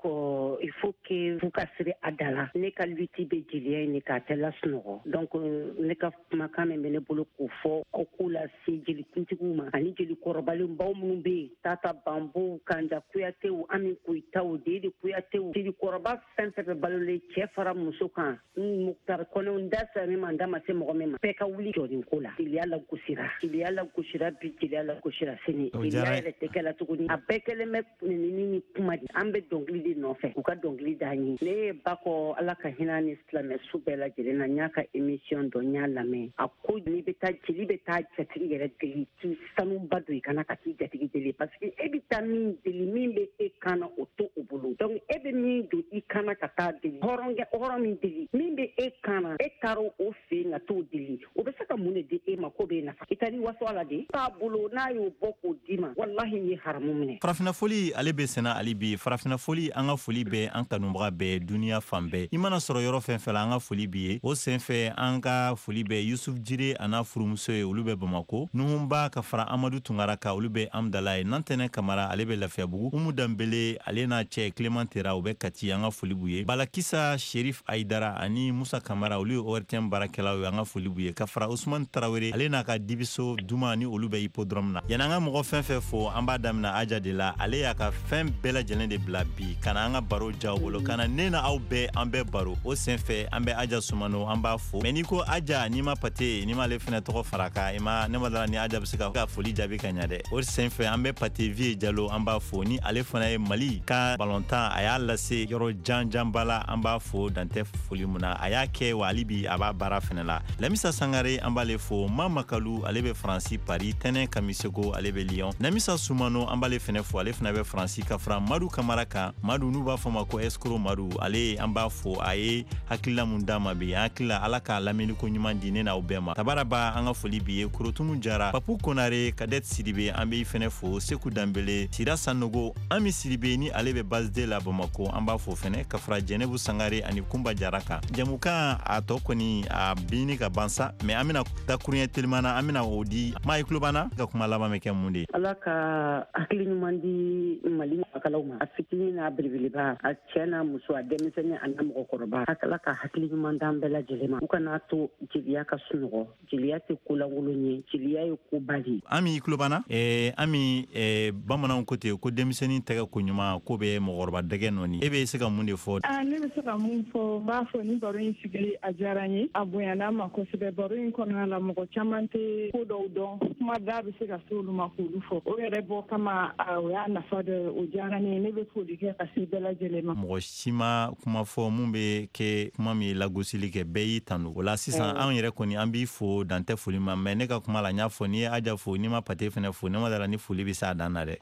il faut que f'u ka siri a da la. Ne ka lutte bɛ jeliya in de k'a tɛ lasunɔgɔ. Donc ne ka kumakan min bɛ ne bolo k'o fɔ, aw k'o lase jelikuntigiw ma ani jelikɔrɔbalenbaw minnu bɛ yen, Tata Banbow, Kanja Kuyatew, Ami Koyitaw, Dede Kuyatew, jelikɔrɔba fɛn fɛn bɛ balolen, cɛ fara muso kan, Mukutari Kɔnɛw, n da sera min ma, n da ma se mɔgɔ min ma, bɛɛ ka wuli jɔlen ko la. Jeliya lagosira, jeliya lagosira bi, jeliya lagosira sini. Jeliya yɛrɛ tɛ kɛ la tuguni, a bɛɛ kɛlen bɛ nɛnini ni kuma de. An bɛ dɔnkili de nɔfɛ, u ka dɔnkili d'an ye. Ne ye ba kɔ, Ala ka hinɛ ni silamɛ su bɛɛ lajɛlen na. N y'a ka émission dɔ, n y'a lamɛn. A ko n'i bɛ taa, jeli bɛ taa jatigi yɛrɛ deli, k'i sanuba don i kana ka t'i jatigi deli, parce que e bɛ taa min deli, min bɛ e kan na, o to o bolo. Donc e bɛ min don i kan na ka taa deli, hɔrɔnkɛ hɔrɔn min deli, min bɛ e kan na, e taara o fɛ yen ka t'o deli, o bɛ se ka mun de di e ma ko b'e nafa? I taara i waso a la de b'a bolo, n'a y'o bɔ k'o d'i ma, walahi i ye haramu minɛ. Farafinna foli, ale bɛ senna hali bi. Farafinna foli, an ka foli bɛ an kanubaga bɛɛ, duniya fan bɛɛ. I mana sɔrɔ yɔrɔ fɛn fɛn la, an ka foli b'i ye. O senfɛ, an ka foli bɛ Yusuf Jire a n'a furumuso ye, olu bɛ Bamako. Nuhunba ka fara Amadu Tunkara kan, olu bɛ Amdala ye. Nantɛnɛ Kamara, ale bɛ Lafiyabugu. Umu Danbele, ale n'a cɛ Clément Tera, u bɛ Kati, an ka foli b'u ye. Balakisa Sherif Aidara ani Musa Kamara, olu ye O R T M baarakɛlaw ye, an ka foli b'u ye. Ka fara Usman Tarawele, ale n'a ka dibiso Duma, ni olu bɛ hippodrome na. Yanni an ka mɔgɔ fɛn fɛn fo, an b'a daminɛ Aja de la. Ale y'a ka fɛn bɛɛ lajɛlen de bila bi ka na an ka baro jaw bolo, ka na ne na aw bɛɛ, an bɛɛ baro. O senfɛ, an bɛ Aja Sumano, an b'a fo. Mais n'i ko Aja, n'i ma Pate, n'i m'ale fɛnɛ tɔgɔ fara kan, i ma ne ma dala ni Aja bɛ se ka foli jaabi ka ɲa dɛ. O senfɛ, an bɛ Pate Vie Jalo, an b'a fo, ni ale fana ye Mali ka balontan, a y'a lase yɔrɔ janjanba la. An b'a fo dantɛ foli mun na a y'a kɛ wa, hali bi a b'a baara fɛnɛ la. Lamisa Sangare, an b'ale fo. Ma Makalu, ale bɛ Faransi Paris. Tɛnɛ Kamisego, ale bɛ Lyon. Namisa Sumano, an b'ale fɛnɛ fo, ale fɛnɛ bɛ Faransi. Ka fara Madu Kamara kan, Madu n'u b'a fɔ ma ko Escro Madu, ale an b'a fo. A ye hakilila mun d'a ma bi, an hakili la Ala k'a lamɛnni ko ɲuman di ne n'aw bɛɛ ma. Tabaraba, an ka foli b'i ye. Korotumu Jara, Papu Konare, Kadet Sidibe, an b'i fɛnɛ fo. Seku Danbele, Sira Sanogo, Ami Sidibe, ni ale bɛ base de la Bamako, an b'a fo fɛnɛ. Ka fara Jɛnɛbu Sangare ani Kunba Jara kan. Jamukan a tɔ kɔni a bini ka ban sa, mais an bɛna dakuruɲɛ teliman na, an bɛna o di maa i tulo b'an na. Ka kuma laban bɛ kɛ mun de ye? Ala ka hakili ɲuman di Mali ɲamakalaw ma, a fitinin n'a belebeleba, a cɛ n'a muso, a denmisɛnnin a n'a mɔgɔkɔrɔba. Ala ka hakili ɲuman d'an bɛɛ lajɛlen ma, u kana to jeliya ka sunɔgɔ. Jeliya tɛ ko lankolon ye, jeliya ye koba de ye. Ami, i tulo b'an na. eh, Ami, eh, bamananw ko ten ko denmisɛnnin tɛgɛ ko ɲuman ko bɛ mɔgɔkɔrɔba dɛgɛ nɔni. E bɛ se ka mun de fɔ? Ah, ne bɛ se ka mun fɔ, n b'a fɔ ni baro in sigili a diyara n ye, a bonyana ma kosɛbɛ. Baro in kɔnɔna la, mɔgɔ caman tɛ ko dɔw dɔn, kuma da bɛ se ka se olu ma k'olu fɔ. O yɛrɛ bɔ kama, o y'a nafa dɔ ye, o diyara ne ye. Ne bɛ foli kɛ ka se bɛɛ lajɛlen ma. Mɔgɔ si ma kuma fɔ mun bɛ kɛ kuma min ye lagosili kɛ, bɛɛ y'i tanu o la. Sisan anw yɛrɛ kɔni, an b'i fo dantɛ foli ma. Mais ne ka kuma la, n y'a fɔ, n'i ye Aja fo, n'i ma Pate fɛnɛ fo, ne ma dala ni foli bɛ s'a dan na dɛ.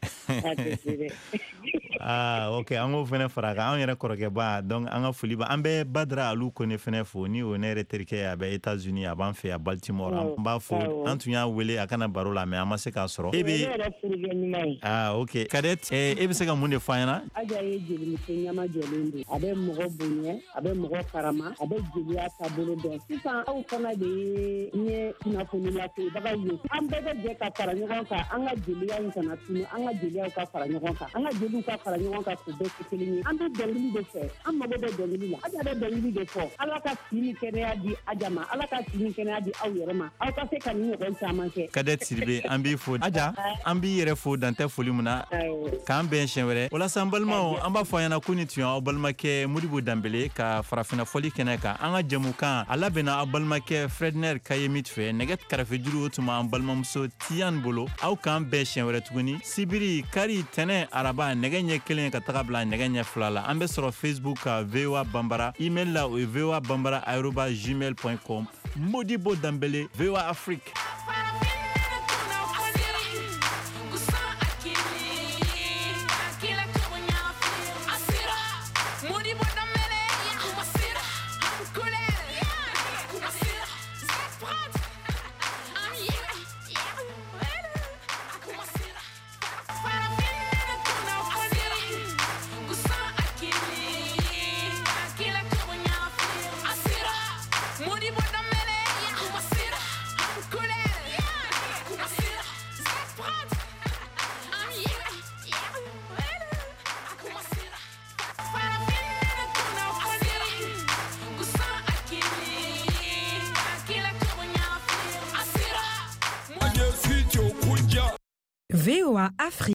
Ah ok, an k'o fɛnɛ fara kan, anw yɛrɛ kɔrɔkɛba. Donc an ka foli ba, an bɛ Badara Alu Kone fɛnɛ fo, ni o ne yɛrɛ terikɛ ye, a bɛ États-Unis, a b'an fɛ a Baltimore, an b'a fo. An tun y'a wele a kana baro la, mais an ma se k'a sɔrɔ. E bɛ, ah ok, Cadet, e bɛ se ka mun de fɔ an ɲɛna? Aja ye jelimuso ɲama jɔlen don, a bɛ mɔgɔ bonya, a bɛ mɔgɔ karama, a bɛ jeliya taabolo dɔn. Sisan aw fana de ye ye kunnafoni lasebagaw ye, an bɛɛ bɛ jɛ ka fara ɲɔgɔn kan, an ka jeliya in kana tunu, an ka jeliyaw ka fara ɲɔgɔn kan, an ka jeliw ka fara ɲɔgɔn kan k'u bɛɛ kɛ kelen ye. An bɛ dɔnkili de fɛ, an mago bɛ dɔnkili la. Aja bɛ dɔnkili de fɔ. Ala ka si ni kɛnɛya di Aja ma, Ala ka si ni kɛnɛya di aw yɛrɛ ma, aw ka se ka nin ɲɔgɔn caman kɛ. Cadet Sidibe, an b'i fo. Aja, an b'i yɛrɛ fo dantɛ foli mun na, k'an bɛn siɲɛ wɛrɛ. Walasa an balimaw, an b'a fɔ a ɲɛna ko nin tun y'aw balimakɛ Modibo Danbele ka farafinna fɔli kɛnɛ kan. An ka jɛmukan a labɛnna aw balimakɛ Fredner Kayemit fɛ. Nɛgɛ karafejuru, o tun b'an balimamuso Tiyan bolo. Aw k'an bɛn siɲɛ wɛrɛ tuguni, sibiri, kari, tɛnɛ, araba, nɛgɛ ɲɛ kelen ka taga bila nɛgɛ ɲɛ fila la. An bɛ sɔrɔ Facebook ka V O A Banbara, email la o ye voa banbara arobase gmail point com. Modibo Danbele, V O A Afrique. V O A Afrique.